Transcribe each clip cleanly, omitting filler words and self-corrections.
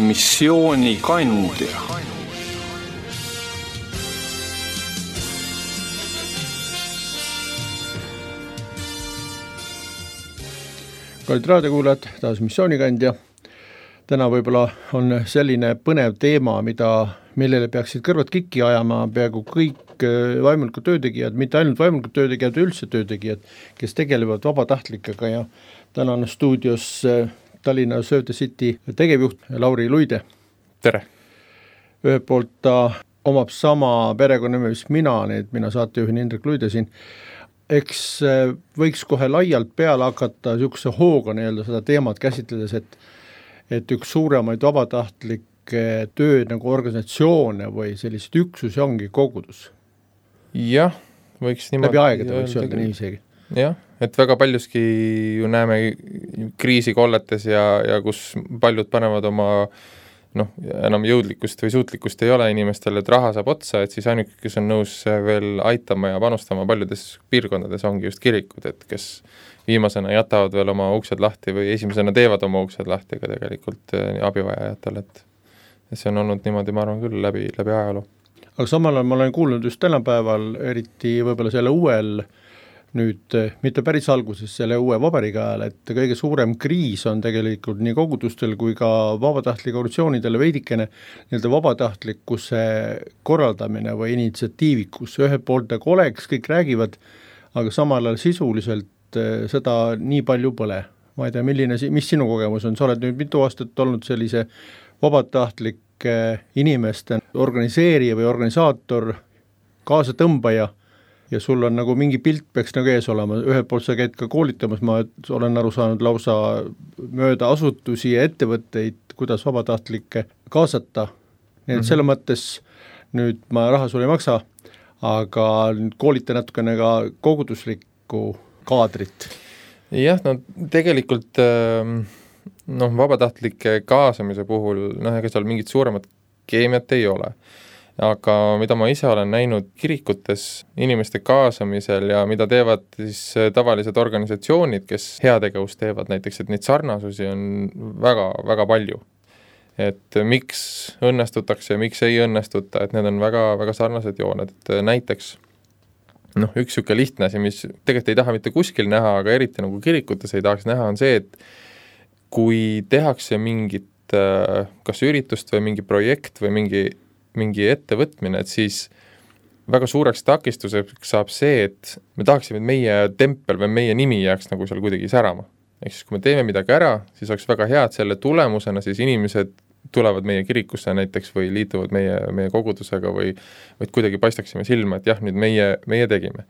missioonikandja. Kallid raadiokuulajad, taas missioonikandja. Täna võib-olla on selline põnev teema, millele peaksid kõrvad kikki ajama peaaegu kõik vaimulikud töötegijad, mitte ainult vaimulikud töötegijad, üldse töötegijad, kes tegelevad vabatahtlikega ja täna on stuudios Tallinna Save the City tegevjuht Lauri Luide. Tere! Ühelt poolt ta omab sama perekonnanime, mis mina saatejuhin Indrek Luide siin. Eks võiks kohe laialt peale hakata niisuguse hooga seda teemat käsitledes, et üks suuremaid vabatahtlikke tööd nagu organisatsioone või sellised üksusi ongi kogudus. Jah, võiks niimoodi läbi aegade võiks öelda nii isegi. Jah, et väga paljuski ju näeme kriisikolletes ja kus paljud panevad oma enam jõudlikkust või suutlikkust ei ole inimestel, et raha saab otsa, et siis ainuke, kes on nõus veel aitama ja panustama paljudes piirkondades ongi just kirikud, et kes viimasena jätavad veel oma uksed lahti või esimesena teevad oma uksed lahti ka tegelikult abivajajatele, et see on olnud niimoodi, ma arvan küll, läbi ajaloo. Aga samal ajal ma olen kuulnud just tänapäeval, eriti võib-olla selle uuel nüüd, mitte päris alguses selle uue vabariigi ajal, et kõige suurem kriis on tegelikult nii kogudustel kui ka vabatahtlike organisatsioonidele veidikene vabatahtlikkuse korraldamine või initsiatiivikus. Ühelt poolt nagu oleks, kõik räägivad, aga samal ajal sisuliselt seda nii palju pole. Ma ei tea, mis sinu kogemus on? Sa oled nüüd mitu aastat olnud sellise vabatahtlike inimeste organiseerija või organisaator, kaasatõmbaja, ja sul on nagu mingi pilt peaks nagu ees olema. Ühelt poolt sa käid ka koolitamas, ma olen aru saanud lausa mööda asutusi ja ettevõtteid, kuidas vabatahtlikke kaasata. Nii et selle mõttes nüüd ma raha sulle ei maksa, aga koolita natukene ka koguduslikku kaadrit. Jah, tegelikult vabatahtlike kaasamise puhul, ega seal mingit suuremat keemiat ei ole. Aga mida ma ise olen näinud kirikutes inimeste kaasamisel ja mida teevad siis tavalised organisatsioonid, kes heategevust teevad näiteks, et neid sarnasusi on väga, väga palju. Et miks õnnestutakse ja miks ei õnnestuta, et need on väga, väga sarnased jooned. Et näiteks üks siuke lihtne asi, mis tegelikult ei taha mitte kuskil näha, aga eriti nagu kirikutes ei tahaks näha, on see, et kui tehakse mingit kas üritust või mingi projekt või mingi ettevõtmine, et siis väga suureks takistuseks saab see, et me tahaksime, et meie tempel või meie nimi jääks nagu seal kuidagi särama. Ehk siis, kui me teeme midagi ära, siis oleks väga hea, et selle tulemusena siis inimesed tulevad meie kirikusse näiteks või liituvad meie kogudusega või kuidagi paistaksime silma, et jah, nüüd meie tegime.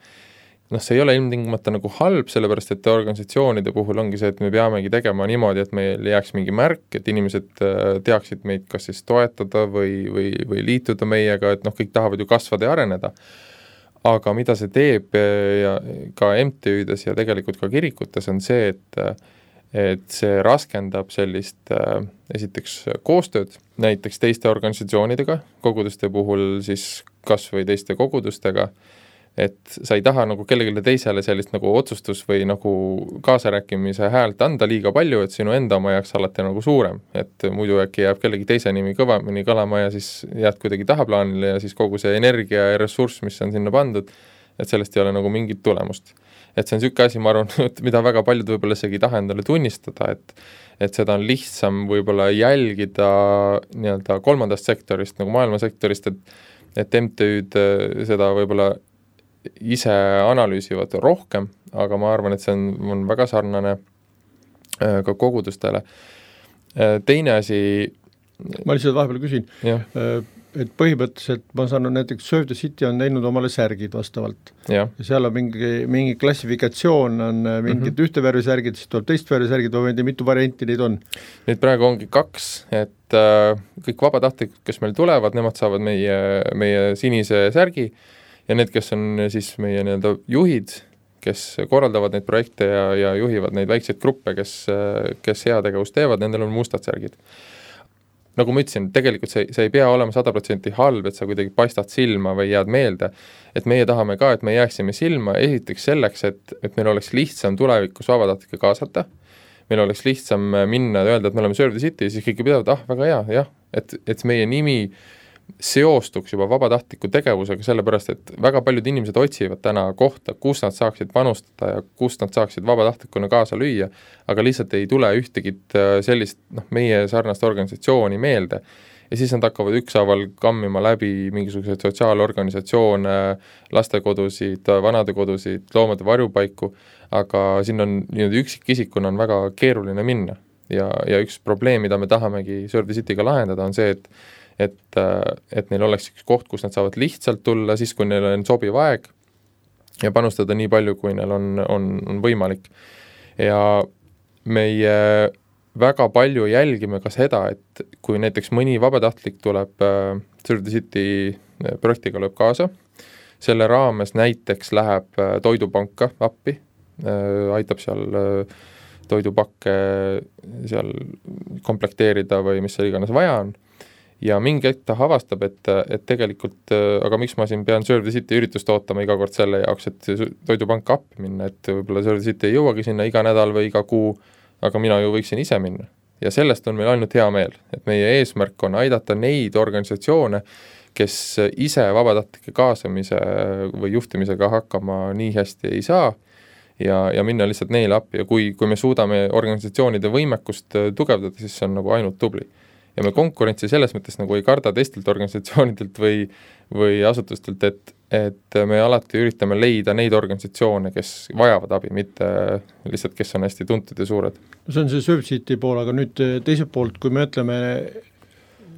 See ei ole ilmtingimata nagu halb, sellepärast et organisatsioonide puhul ongi see, et me peamegi tegema niimoodi, et meil jääks mingi märk, et inimesed teaksid meid kas siis toetada või liituda meiega, et kõik tahavad ju kasvada ja areneda. Aga mida see teeb ja ka MTÜ-des ja tegelikult ka kirikutes on see, et see raskendab sellist esiteks koostööd näiteks teiste organisatsioonidega, koguduste puhul siis kas või teiste kogudustega, et sa ei taha nagu kellelegi teisele sellist nagu otsustus või nagu kaasarääkimise häält anda liiga palju, et sinu enda oma jääks alati nagu suurem, et muidu äkki jääb kellegi teise nimi kõvamini kõlama ja siis jääd kuidagi tahaplaanile ja siis kogu see energia ja ressurss, mis on sinna pandud, et sellest ei ole nagu mingit tulemust. Et see on niisugune asi, ma arvan, mida väga paljud võib-olla isegi ei taha endale tunnistada, et seda on lihtsam võib-olla jälgida nii-öelda kolmandast sektorist, nagu maailmasektorist, et MTÜ-d seda võib-olla ise analüüsivad rohkem, aga ma arvan, et see on väga sarnane ka kogudustele. Teine asi... Ma lihtsalt vahepeal küsin, et põhimõtteliselt ma saan näiteks Save the City on teinud omale särgid vastavalt. Ja seal on mingi klassifikatsioon, on mingid ühte värvi särgid, siis tuleb teist värvi särgid, või mitu varianti neid on? Nüüd praegu ongi 2, et kõik vabatahtlikud, kes meil tulevad, nemad saavad meie sinise särgi, ja need, kes on siis meie juhid, kes korraldavad neid projekte ja juhivad neid väikseid gruppe, kes heategevust teevad, nendel on mustad särgid. Nagu ma ütlesin, tegelikult see ei pea olema 100% halb, et sa kuidagi paistad silma või jääd meelde, et meie tahame ka, et me jääksime silma esiteks selleks, et meil oleks lihtsam tulevikus vabatahtlikke kaasata. meil oleks lihtsam minna ja öelda, et me oleme Serve the City, siis kõik pidavad, väga hea, jah, et meie nimi seostuks juba vabatahtliku tegevusega, sellepärast et väga paljud inimesed otsivad täna kohta, kus nad saaksid panustada ja kus nad saaksid vabatahtlikuna kaasa lüüa, aga lihtsalt ei tule ühtegi sellist meie sarnast organisatsiooni meelde. Ja siis nad hakkavad ükshaaval kammima läbi mingisuguseid sotsiaalorganisatsioone, lastekodusid, vanadekodusid, loomade varjupaiku, aga siin on üksikisikuna on väga keeruline minna. Ja üks probleem, mida me tahamegi Serve the City'ga lahendada, on see, et neil oleks üks koht, kus nad saavad lihtsalt tulla, siis kui neil on sobiv aeg ja panustada nii palju, kui neil on võimalik. Ja meie väga palju jälgime ka seda, et kui näiteks mõni vabatahtlik tuleb Serve the City projektiga lööb kaasa, selle raames näiteks läheb toidupanka appi, aitab seal toidupakke seal komplekteerida või mis seal iganes vaja on, ja mingi hetk ta avastab, et tegelikult, aga miks ma siin pean Serve the City üritust ootama iga kord selle jaoks, et toidupanka appi minna, et võib-olla Serve the City ei jõuagi sinna iga nädal või iga kuu, aga mina ju võiksin ise minna. Ja sellest on meil ainult hea meel, et meie eesmärk on aidata neid organisatsioone, kes ise vabatahtlike kaasamise või juhtimisega hakkama nii hästi ei saa ja minna lihtsalt neile appi ja kui me suudame organisatsioonide võimekust tugevdada, siis see on nagu ainult tubli. Ja me konkurentsi selles mõttes nagu ei karda teistelt organisatsioonidelt või asutustelt, et me alati üritame leida neid organisatsioone, kes vajavad abi, mitte lihtsalt, kes on hästi tuntud ja suured. See on see Serve City pool, aga nüüd teiselt poolt, kui me ütleme,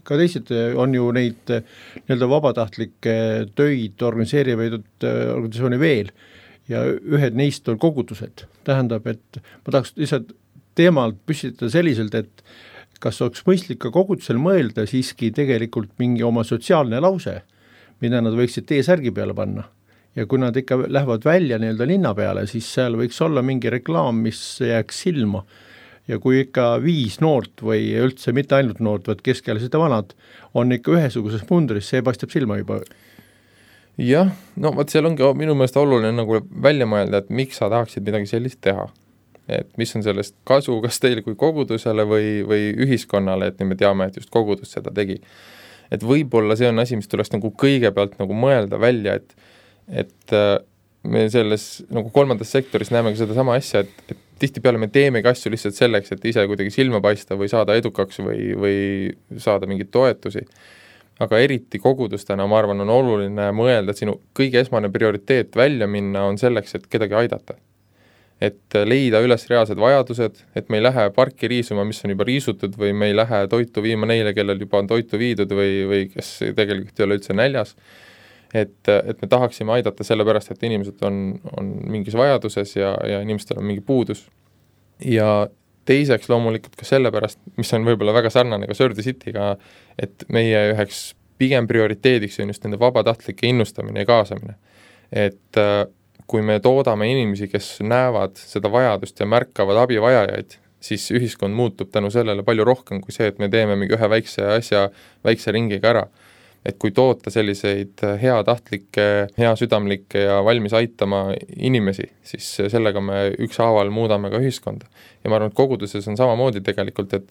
ka teised on ju neid nii-öelda vabatahtlikke töid organiseerivaid organisatsiooni veel ja ühed neist on kogutused. Tähendab, et ma tahaks lihtsalt teemalt püstitada selliselt, et kas oleks mõistlik ka kogutusel mõelda siiski tegelikult mingi oma sotsiaalne lause, mida nad võiksid T-särgi peale panna. Ja kui nad ikka lähevad välja nii-öelda linna peale, siis seal võiks olla mingi reklaam, mis jääks silma. Ja kui ikka 5 noort või üldse mitte ainult noort, vaid keskealised ja vanad, on ikka ühesuguses mundris, see paistab silma juba. Jah, seal ongi minu meelest oluline nagu välja mõelda, et miks sa tahaksid midagi sellist teha. Et mis on sellest kasu, kas teile kui kogudusele või ühiskonnale, et me teame, et just kogudus seda tegi. Et võib-olla see on asi, mis tuleks nagu kõigepealt nagu mõelda välja, et me selles nagu kolmandas sektoris näemegi seda sama asja, et tihtipeale me teemegi asju lihtsalt selleks, et ise kuidagi silma paista või saada edukaks või saada mingeid toetusi. Aga eriti kogudustena, ma arvan, on oluline mõelda, et sinu kõige esmane prioriteet välja minna on selleks, et kedagi aidata. Et leida üles reaalsed vajadused, et me ei lähe parki riisuma, mis on juba riisutud või me ei lähe toitu viima neile, kellel juba on toitu viidud või kes tegelikult ei ole üldse näljas. Et me tahaksime aidata sellepärast, et inimesed on mingis vajaduses ja inimestel on mingi puudus. Ja teiseks loomulikult ka sellepärast, mis on võib-olla väga sarnane ka Serve the City'ga, et meie üheks pigem prioriteediks on just nende vabatahtlike innustamine ja kaasamine. Et kui me toodame inimesi, kes näevad seda vajadust ja märkavad abivajajaid, siis ühiskond muutub tänu sellele palju rohkem kui see, et me teeme mingi ühe väikse asja väikse ringiga ära. Et kui toota selliseid heatahtlikke, heasüdamlikke ja valmis aitama inimesi, siis sellega me ükshaaval muudame ka ühiskonda. Ja ma arvan, et koguduses on samamoodi tegelikult, et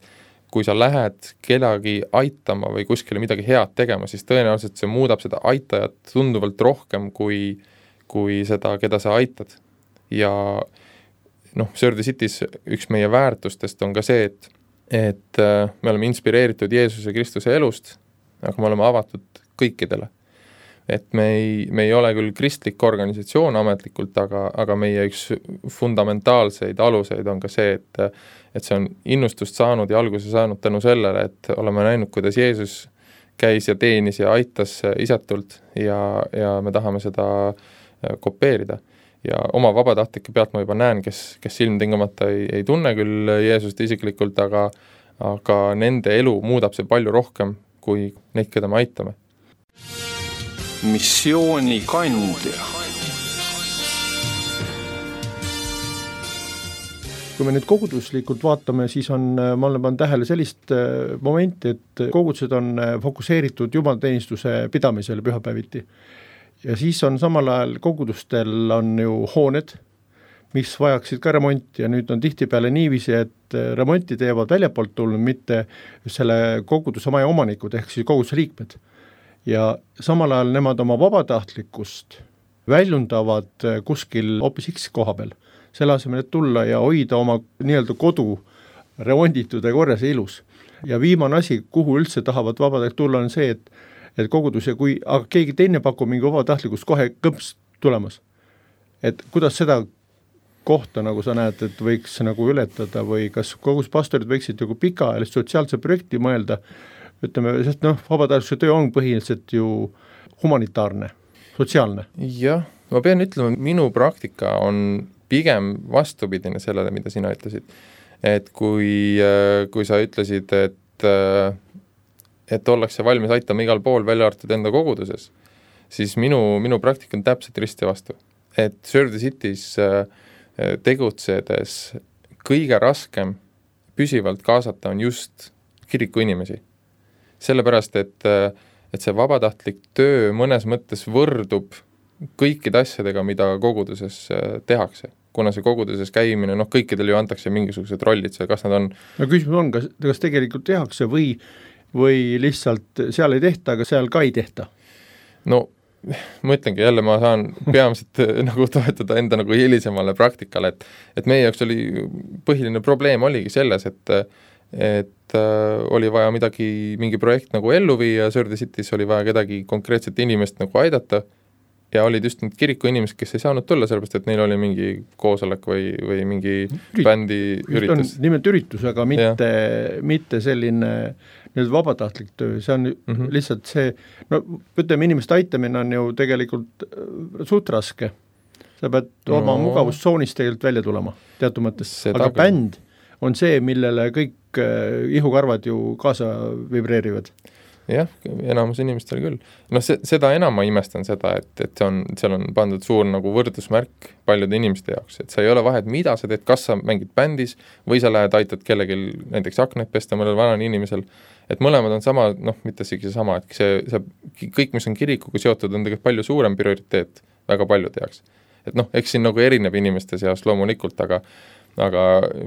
kui sa lähed kedagi aitama või kuskile midagi head tegema, siis tõenäoliselt see muudab seda aitajat tunduvalt rohkem kui seda, keda sa aitad. Ja Serve the City's üks meie väärtustest on ka see, et me oleme inspireeritud Jeesuse Kristuse elust, aga me oleme avatud kõikidele. Et me ei ole küll kristlik organisatsioon ametlikult, aga meie üks fundamentaalseid aluseid on ka see, et see on innustust saanud ja alguse saanud tänu sellele, et oleme näinud, kuidas Jeesus käis ja teenis ja aitas isetult ja me tahame seda kopeerida. Ja oma vabatahtlike pealt ma juba näen, kes ilmtingimata ei tunne küll Jeesust isiklikult, aga nende elu muudab see palju rohkem kui neid, keda me aitame. Missiooni kandja. Kui me nüüd koguduslikult vaatame, siis ma olen pannud tähele sellist momenti, et kogudused on fokuseeritud jumalateenistuse pidamisele pühapäeviti. Ja siis on samal ajal kogudustel on ju hooned, mis vajaksid ka remonti ja nüüd on tihtipeale niiviisi, et remonti teevad väljapoolt tulnud, mitte selle koguduse maja omanikud ehk siis koguduse liikmed. Ja samal ajal nemad oma vabatahtlikkust väljundavad kuskil hoopis X koha peal, selle asemel, et tulla ja hoida oma nii-öelda kodu remonditud ja korras ja ilus. Ja viimane asi, kuhu üldse tahavad vabatahtlikud tulla, on see, et kogudus ja kui aga keegi teine pakub mingi vabatahtlikkust kohe kõmps tulemas. Et kuidas seda kohta, nagu sa näed, et võiks nagu ületada või kas kogus pastorid võiksid nagu pikaajalist sotsiaalse projekti mõelda, ütleme, sest vabatahtlikkuse töö on põhiliselt ju humanitaarne, sotsiaalne. Jah, ma pean ütlema, minu praktika on pigem vastupidine sellele, mida sina ütlesid. Et kui sa ütlesid, et ollakse valmis aitama igal pool välja arvatud enda koguduses, siis minu praktika on täpselt risti vastu. Et Serve the Cities tegutsedes kõige raskem püsivalt kaasata on just kiriku inimesi. Sellepärast, et see vabatahtlik töö mõnes mõttes võrdub kõikide asjadega, mida koguduses tehakse. Kuna see koguduses käimine, kõikidel ju antakse mingisugused rollid, kas nad on... No küsimus on, kas tegelikult tehakse või lihtsalt seal ei tehta, aga seal ka ei tehta? No, ma ütlengi jälle, ma saan peamiselt nagu toetada enda nagu hilisemale praktikale, et meie jaoks oli põhiline probleem oligi selles, et oli vaja mingi projekt nagu ellu viia, Serve the Cities oli vaja kedagi konkreetset inimest nagu aidata ja olid just need kiriku inimesed, kes ei saanud tulla, sellepärast, et neil oli mingi koosolek või mingi bändi üritus. Nimelt üritus, aga mitte selline nüüd vabatahtlik töö, see on lihtsalt see, ütleme, inimeste aitamine on ju tegelikult suht raske. Sa pead oma mugavustsoonist tegelikult välja tulema, teatud mõttes. Aga bänd on see, millele kõik ihukarvad ju kaasa vibreerivad. Jah, enamus inimestel küll. Seda enam ma imestan seda, et seal on pandud suur nagu võrdusmärk paljude inimeste jaoks, et sa ei ole vahet, mida sa teed, kas sa mängid bändis või sa lähed aitad kellelgi näiteks aknaid pesta mõnel vanal inimesel, et mõlemad on sama, mitte isegi sama, et see kõik, mis on kirikuga seotud, on tegelikult palju suurem prioriteet väga paljude jaoks. Et eks siin nagu erineb inimeste seas loomulikult, aga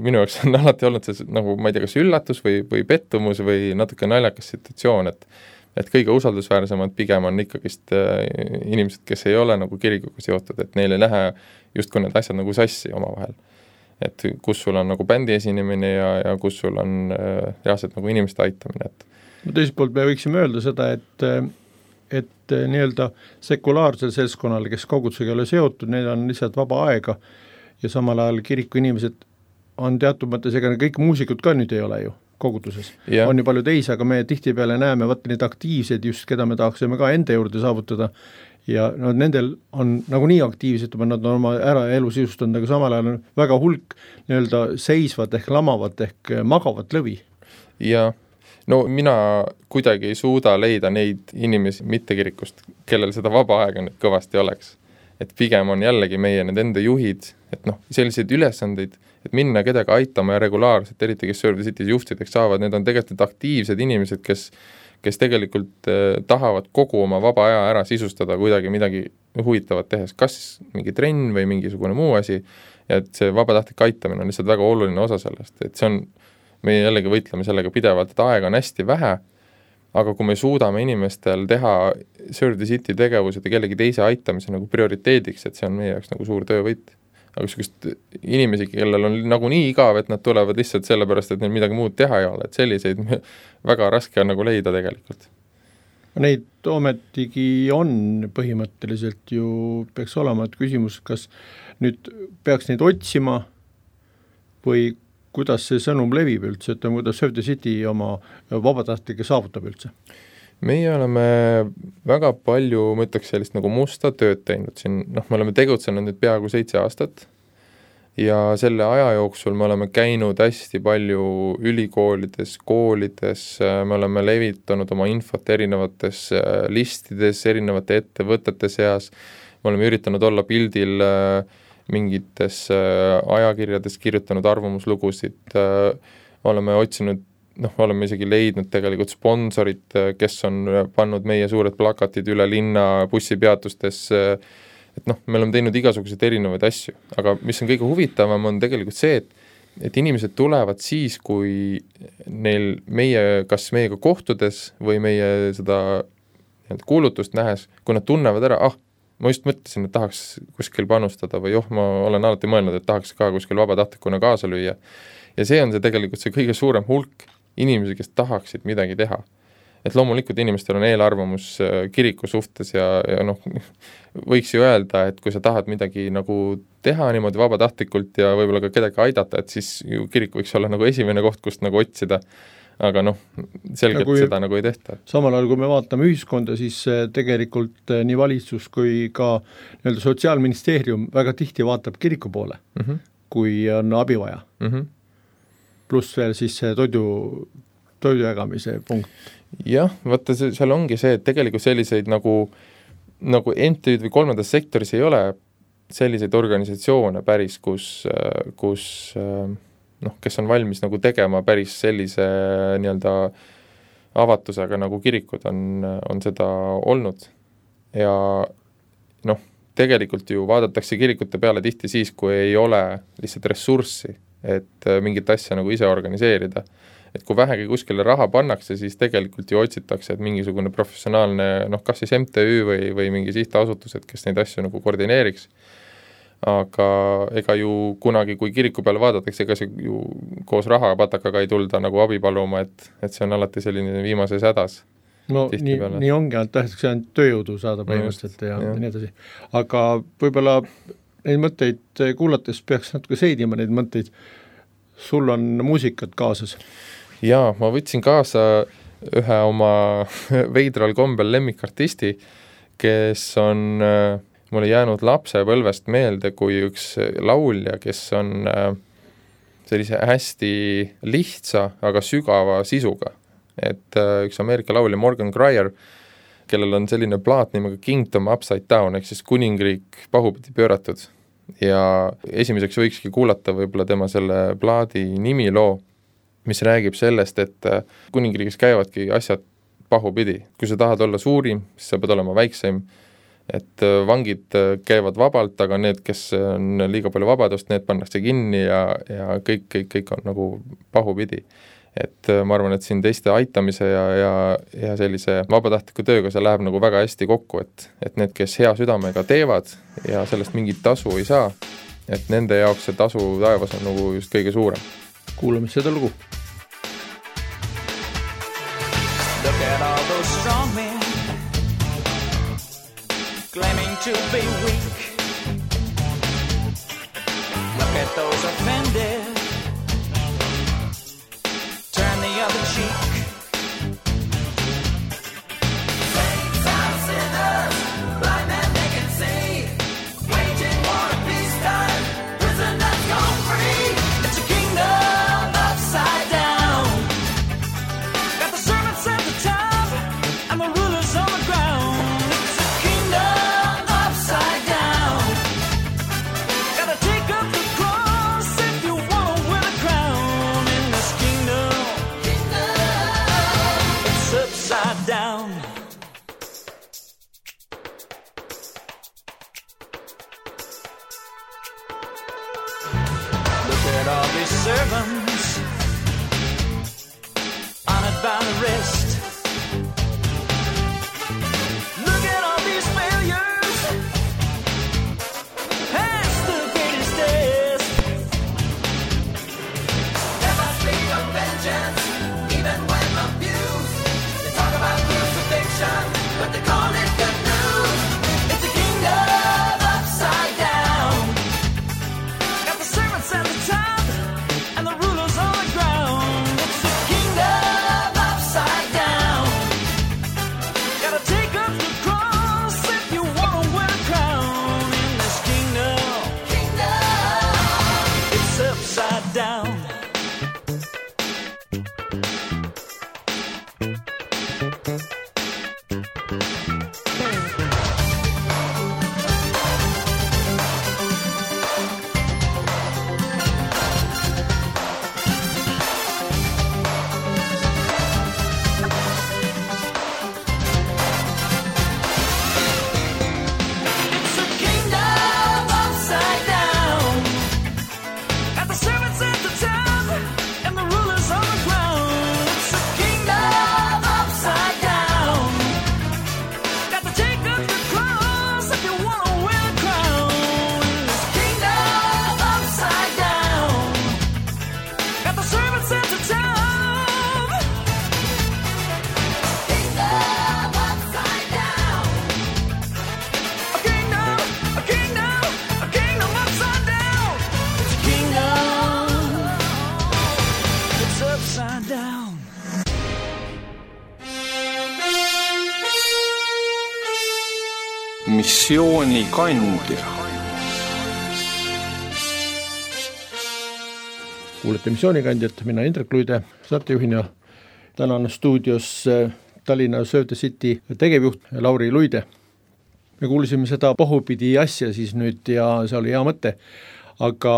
minu jaoks on alati olnud see nagu, ma ei tea, kas üllatus või pettumus või natuke naljakas situatsioon, et kõige usaldusväärsemad pigem on ikkagist inimesed, kes ei ole nagu kirikuga seotud, et neil ei lähe justkui need asjad nagu sassi omavahel. Et kus sul on nagu bändi esinemine ja kus sul on reaalselt nagu inimeste aitamine. Teiselt poolt me võiksime öelda seda, et nii-öelda sekulaarsel seltskonnal, kes kogudusega ei ole seotud, neil on lihtsalt vaba aega ja samal ajal kiriku inimesed on teatud mõttes, ega kõik muusikud ka nüüd ei ole ju koguduses. Yeah. On ju palju teisi, aga me tihtipeale näeme neid aktiivseid just, keda me tahaksime ka enda juurde saavutada ja nendel on nagu nii aktiivsed, nad on oma elu sisustanud, aga samal ajal on väga hulk nii-öelda seisvad ehk lamavat ehk magavat lõvi. Ja mina kuidagi ei suuda leida neid inimesi mitte kirikust, kellel seda vaba aega nüüd kõvasti oleks. Et pigem on jällegi meie need enda juhid, et selliseid ülesandeid, et minna kedagi aitama ja regulaarselt, eriti kes Serve the Cities juhtideks saavad, need on tegelikult aktiivsed inimesed, kes tegelikult tahavad kogu oma vaba aja ära sisustada kuidagi midagi huvitavat tehes, kas mingi trenn või mingisugune muu asi, ja et see vabatahtlik aitamine on lihtsalt väga oluline osa sellest, et see on, me jällegi võitleme sellega pidevalt, et aega on hästi vähe, aga kui me suudame inimestel teha Serve the City tegevused ja kellegi teise aitamise nagu prioriteediks, et see on meie jaoks nagu suur töövõit. Aga sükest inimesi, kellel on nagu nii igav, et nad tulevad lihtsalt sellepärast, et neil midagi muud teha ei ole, et selliseid väga raske on nagu leida tegelikult. Neid ometigi on põhimõtteliselt ju peaks olema, et küsimus, kas nüüd peaks neid otsima või kuidas see sõnum levib üldse, et kuidas Serve the City oma vabatahtlikke saavutab üldse? Meie oleme väga palju, ma ütleks sellist nagu musta tööd teinud siin, me oleme tegutsenud nüüd peaaegu 7 aastat ja selle aja jooksul me oleme käinud hästi palju ülikoolides, koolides, me oleme levitanud oma infot erinevates listides, erinevate ettevõtete seas, me oleme üritanud olla pildil mingites ajakirjades kirjutanud arvamuslugusid, oleme otsinud, oleme isegi leidnud tegelikult sponsorid, kes on pannud meie suured plakatid üle linna bussipeatustes, et noh, me oleme teinud igasuguseid erinevaid asju, aga mis on kõige huvitavam, on tegelikult see, et inimesed tulevad siis, kui neil kas meiega kohtudes või meie seda kuulutust nähes, kui nad tunnevad ära, ma just mõtlesin, et tahaks kuskil panustada või ma olen alati mõelnud, et tahaks ka kuskil vabatahtlikuna kaasa lüüa. Ja see on see tegelikult see kõige suurem hulk inimesi, kes tahaksid midagi teha. Et loomulikult inimestel on eelarvamus kiriku suhtes ja noh, võiks ju öelda, et kui sa tahad midagi nagu teha niimoodi vabatahtlikult ja võib-olla ka kedagi aidata, et siis ju kirik võiks olla nagu esimene koht, kust nagu otsida. Aga noh, selgelt seda nagu ei tehta. Samal ajal, kui me vaatame ühiskonda, siis tegelikult nii valitsus kui ka Sotsiaalministeerium väga tihti vaatab kiriku poole, kui on abi vaja. Pluss veel siis see toidu jagamise punkt. Jah, vaata, seal ongi see, et tegelikult selliseid nagu MTÜ-d või kolmandas sektoris ei ole selliseid organisatsioone päris, kus kes on valmis nagu tegema päris sellise nii-öelda avatusega, nagu kirikud on seda olnud. Ja noh, tegelikult ju vaadatakse kirikute peale tihti siis, kui ei ole lihtsalt ressurssi, et mingit asja nagu ise organiseerida. Et kui vähegi kuskile raha pannakse, siis tegelikult ju otsitakse, et mingisugune professionaalne, kas siis MTÜ või mingi sihtasutused, kes neid asju nagu koordineeriks. Aga ega ju kunagi, kui kiriku peale vaadatakse, ega see ju koos rahapatakaga ei tulda nagu abi paluma, et see on alati selline viimases hädas. No nii ongi, et tahetakse ainult tööjõudu saada põhimõtteliselt ja nii edasi. Aga võib-olla neid mõtteid kuulates peaks natuke seedima neid mõtteid. Sul on muusikat kaasas? Jaa, ma võtsin kaasa ühe oma veidral kombel lemmikartisti, kes on mulle jäänud lapsepõlvest meelde kui üks laulja, kes on sellise hästi lihtsa, aga sügava sisuga. Et üks Ameerika laulja Morgan Greyer, kellel on selline plaat nimega Kingdom Upside Down, ehk siis kuningriik pahupidi pööratud. Ja esimeseks võikski kuulata võib-olla tema selle plaadi nimiloo, mis räägib sellest, et kuningriigis käivadki asjad pahupidi. Kui sa tahad olla suurim, siis sa pead olema väikseim. Et vangid käivad vabalt, aga need, kes on liiga palju vabadust, need pannakse kinni ja kõik on nagu pahupidi. Et ma arvan, et siin teiste aitamise ja sellise vabatahtliku tööga see läheb nagu väga hästi kokku, et need, kes hea südamega teevad ja sellest mingit tasu ei saa, et nende jaoks see tasu taevas on nagu just kõige suurem. Kuulame seda lugu. Look at all those strong men claiming to be weak. Look at those offended, turn the other cheek. Saints are sinners, blind men they can see, waging war at peacetime, prisoners gone free. It's a kingdom upside down, got the servants at the top and the rulers on the ground. Servants honored by the rest. Look at all these failures, past the greatest test. There must be no vengeance, even when abused. They talk about crucifixion, but they call it good news. It's a kingdom upside down, got the servants at the top and the rulers missioonikandja. Kuulete missioonikandjat, mina Indrek Luide, saatejuhina. Tänan stuudios Tallinna Save the City tegevjuht Lauri Luide. Me kuulisime seda pohupidi asja siis nüüd ja see oli hea mõte, aga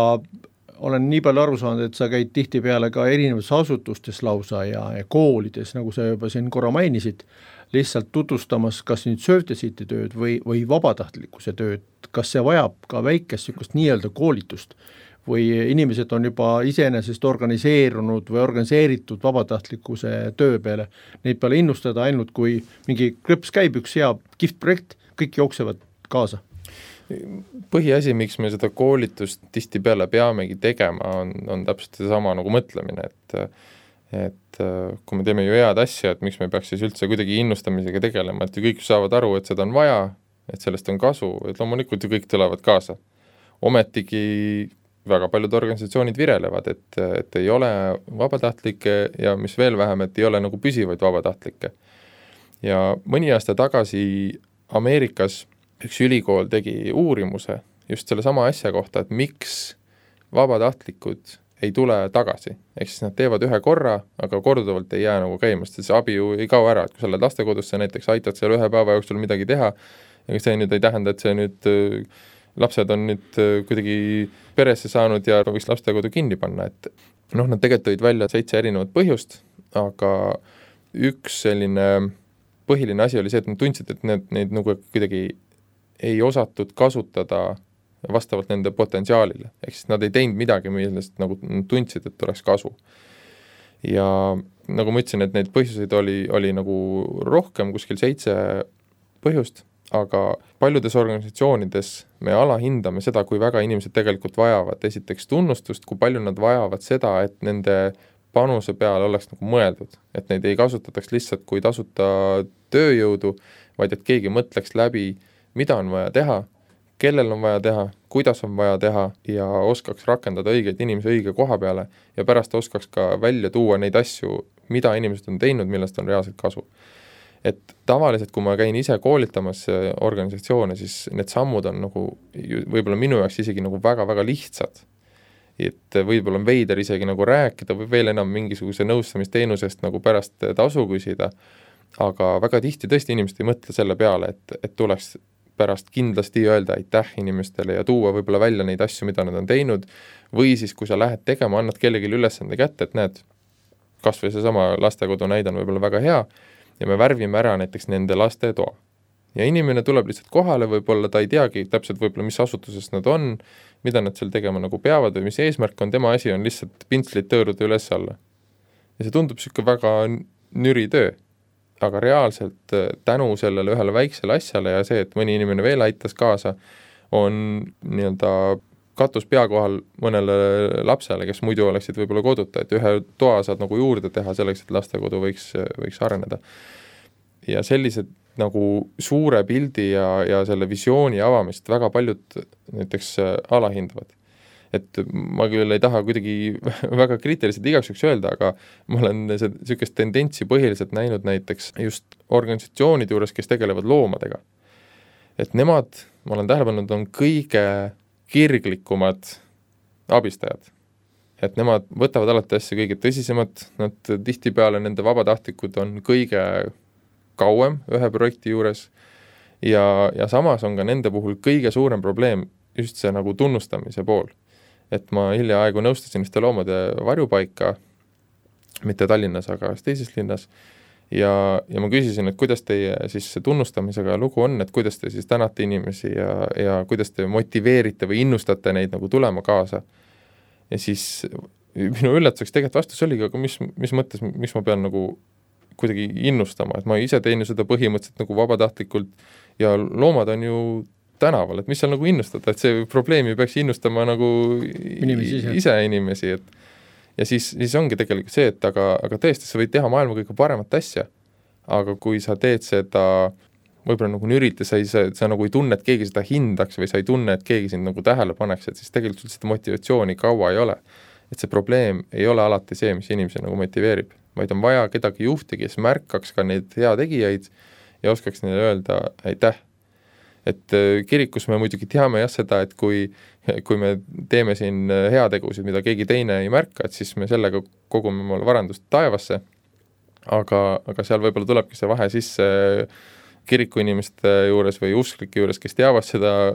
olen nii palju aru saanud, et sa käid tihtipeale ka erinevates asutustes lausa ja koolides, nagu sa juba siin korra mainisid, lihtsalt tutvustamas kas nüüd Save the City tööd või vabatahtlikkuse tööd, kas see vajab ka väikest sükust nii-öelda koolitust või inimesed on juba iseenesest organiseerunud või organiseeritud vabatahtlikkuse töö peale. Neid peale innustada ainult, kui mingi klõps käib, üks hea kihvt projekt, kõik jooksevad kaasa. Põhiasi, miks me seda koolitust tihtipeale peamegi tegema, on täpselt sama nagu mõtlemine, et kui me teeme ju head asja, et miks me peaks siis üldse kuidagi innustamisega tegelema, et ju kõik saavad aru, et seda on vaja, et sellest on kasu, et loomulikult ju kõik tulevad kaasa. Ometigi väga paljud organisatsioonid virelevad, et ei ole vabatahtlikke ja mis veel vähem, et ei ole nagu püsivaid vabatahtlikke. Ja mõni aasta tagasi Ameerikas üks ülikool tegi uurimuse just selle sama asja kohta, et miks vabatahtlikud ei tule tagasi. Ehk siis nad teevad ühe korra, aga korduvalt ei jää nagu käimast, see abi ju ei kao ära, et kui sa oled lastekodusse näiteks aitad seal ühe päeva jooksul midagi teha, ja see nüüd ei tähenda, et see nüüd lapsed on nüüd kuidagi peresse saanud ja võiks lastekodu kinni panna, et nad tegelikult tõid välja 7 erinevat põhjust, aga üks selline põhiline asi oli see, et nad tundsid, et neid nagu kuidagi ei osatud kasutada vastavalt nende potentsiaalile, ehk siis nad ei teinud midagi, millest nagu tundsid, et oleks kasu. Ja nagu ma ütlesin, et neid põhjuseid oli nagu rohkem, kuskil 7 põhjust, aga paljudes organisatsioonides me alahindame seda, kui väga inimesed tegelikult vajavad esiteks tunnustust, kui palju nad vajavad seda, et nende panuse peale oleks nagu mõeldud, et neid ei kasutataks lihtsalt kui tasuta tööjõudu, vaid et keegi mõtleks läbi, mida on vaja teha, kellel on vaja teha, kuidas on vaja teha ja oskaks rakendada õigeid inimesi õige koha peale ja pärast oskaks ka välja tuua neid asju, mida inimesed on teinud, millest on reaalselt kasu. Et tavaliselt, kui ma käin ise koolitamas organisatsioone, siis need sammud on nagu võib-olla minu jaoks isegi nagu väga-väga lihtsad. Et võib-olla on veider isegi nagu rääkida või veel enam mingisuguse nõustamisteenusest nagu pärast tasu küsida, aga väga tihti tõesti inimesed ei mõtle selle peale, et tuleks pärast kindlasti öelda aitäh inimestele ja tuua võib-olla välja neid asju, mida nad on teinud, või siis kui sa lähed tegema, annad kellelegi ülesande kätte, et näed, kas või see sama lastekodu näide on võib-olla väga hea, ja me värvime ära näiteks nende laste toa. Ja inimene tuleb lihtsalt kohale, võib-olla ta ei teagi täpselt võib-olla, mis asutuses nad on, mida nad seal tegema nagu peavad või mis eesmärk on, tema asi on lihtsalt pintslit tõõruda üles alla. Ja see tundub siuke väga nüri töö, aga reaalselt tänu sellele ühele väiksele asjale ja see, et mõni inimene veel aitas kaasa, on nii-öelda katus pea kohal mõnele lapsele, kes muidu oleksid võib-olla koduta, et ühe toa saad nagu juurde teha selleks, et lastekodu võiks areneda. Ja sellised nagu suure pildi ja selle visiooni avamist väga paljud näiteks alahindavad. Et ma küll ei taha kuidagi väga kriitiliselt igaks juhuks öelda, aga ma olen sellist tendentsi põhiliselt näinud näiteks just organisatsioonide juures, kes tegelevad loomadega. Et nemad, ma olen tähele pannud, on kõige kirglikumad abistajad. Et nemad võtavad alati asja kõige tõsisemad, nad tihtipeale nende vabatahtlikud on kõige kauem ühe projekti juures ja samas on ka nende puhul kõige suurem probleem just see nagu tunnustamise pool. Et ma hiljaaegu nõustasin ühte loomade varjupaika, mitte Tallinnas, aga teises linnas, ja ma küsisin, et kuidas teie siis tunnustamisega lugu on, et kuidas te siis tänate inimesi ja kuidas te motiveerite või innustate neid nagu tulema kaasa. Ja siis minu üllatuseks tegelikult vastus oligi, aga mis mõttes, miks ma pean nagu kuidagi innustama, et ma ise teen ju seda põhimõtteliselt nagu vabatahtlikult ja loomad on ju tänaval, et mis seal nagu innustada, et see probleemi peaks innustama nagu ise inimesi, et ja siis ongi tegelikult see, et aga tõesti, sa võid teha maailma kõige paremat asja, aga kui sa teed seda võib-olla nagu nürite, sa nagu ei tunne, et keegi seda hindaks või sa ei tunne, et keegi sind nagu tähele paneks, et siis tegelikult seda motivatsiooni kaua ei ole. Et see probleem ei ole alati see, mis inimesi nagu motiveerib, vaid on vaja kedagi juhti, kes märkaks ka neid hea tegijaid ja oskaks neile öelda aitäh. et kirikus me muidugi teame jah seda, et kui me teeme siin heategusid, mida keegi teine ei märka, et siis me sellega kogume omale varandust taevasse, aga seal võib-olla tulebki see vahe sisse kiriku inimeste juures või usklike juures, kes teavad seda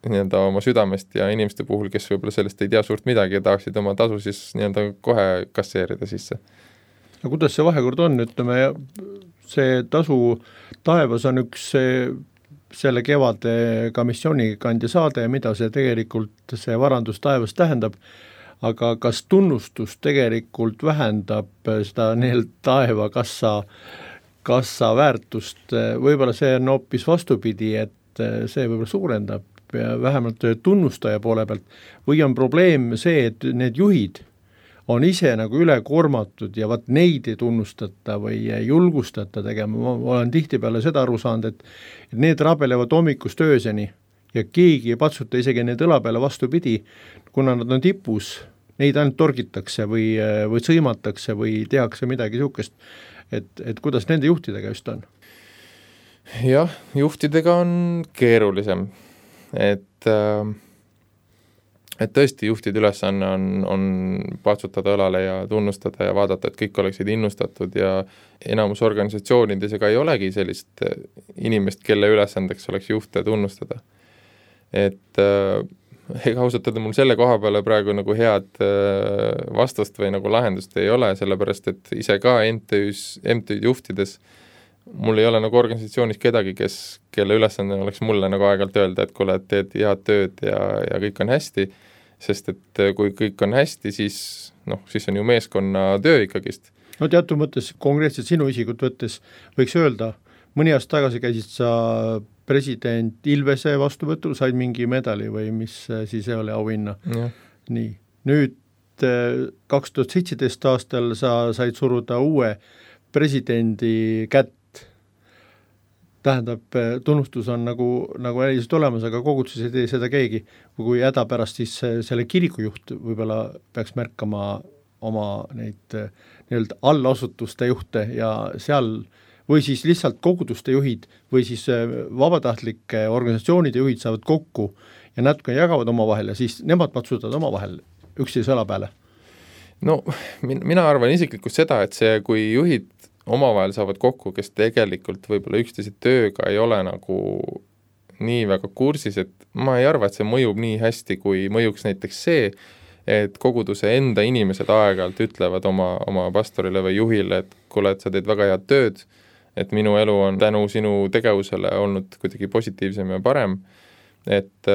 nii-öelda oma südamest ja inimeste puhul, kes võib-olla sellest ei tea suurt midagi ja tahaksid oma tasu siis nii-öelda kohe kasseerida sisse. No kuidas see vahekord on, ütleme, see tasu taevas on üks selle kevade ka missioonikandja saade, mida see tegelikult see varandus taevas tähendab, aga kas tunnustus tegelikult vähendab seda taeva kassa väärtust, võib-olla see on hoopis vastupidi, et see võib-olla suurendab ja vähemalt tunnustaja poole pealt, või on probleem see, et need juhid on ise nagu ülekoormatud ja vaat neid ei tunnustata või ei julgustata tegema, ma olen tihtipeale seda aru saanud, et need rabelevad hommikust ööseni ja keegi ei patsuta isegi need õla peale vastupidi, kuna nad on tipus, neid ainult torgitakse või sõimatakse või tehakse midagi niisugust, et kuidas nende juhtidega just on? Jah, juhtidega on keerulisem, et tõesti juhtide ülesanne on patsutada õlale ja tunnustada ja vaadata, et kõik oleksid innustatud ja enamus organisatsioonides ega ei olegi sellist inimest, kelle ülesandeks oleks juhte tunnustada. Et ega ausalt öelda mul selle koha peale praegu nagu head vastust või nagu lahendust ei ole, sellepärast et ise ka MTÜ juhtides mul ei ole nagu organisatsioonis kedagi, kelle ülesanne oleks mulle nagu aeg-ajalt öelda, et kuule, et teed head tööd ja kõik on hästi, sest et kui kõik on hästi, siis on ju meeskonna töö ikkagist. No teatud mõttes konkreetselt sinu isikut võttes võiks öelda, mõni aasta tagasi käisid sa president Ilvese vastuvõtul, said mingi medali või mis siis oli auhinna. Nii. Nüüd 2017 aastal sa said suruda uue presidendi kätt. Tähendab, tunnustus on nagu äliselt olemas, aga koguduses ei tee seda keegi. Kui häda pärast siis selle kirikujuht võib-olla peaks märkama oma neid nii-öelda allasutuste juhte ja seal või siis lihtsalt koguduste juhid või siis vabatahtlike organisatsioonide juhid saavad kokku ja natuke jagavad omavahel ja siis nemad patsutavad omavahel üksteise õla peale. No, mina arvan isiklikult seda, et see, kui juhid omavahel saavad kokku, kes tegelikult võib-olla üksteise tööga ei ole nagu nii väga kursis, et ma ei arva, et see mõjub nii hästi, kui mõjuks näiteks see, et koguduse enda inimesed aeg-ajalt ütlevad oma pastorile või juhile, et kuule, et sa teed väga head tööd, et minu elu on tänu sinu tegevusele olnud kuidagi positiivsem ja parem, et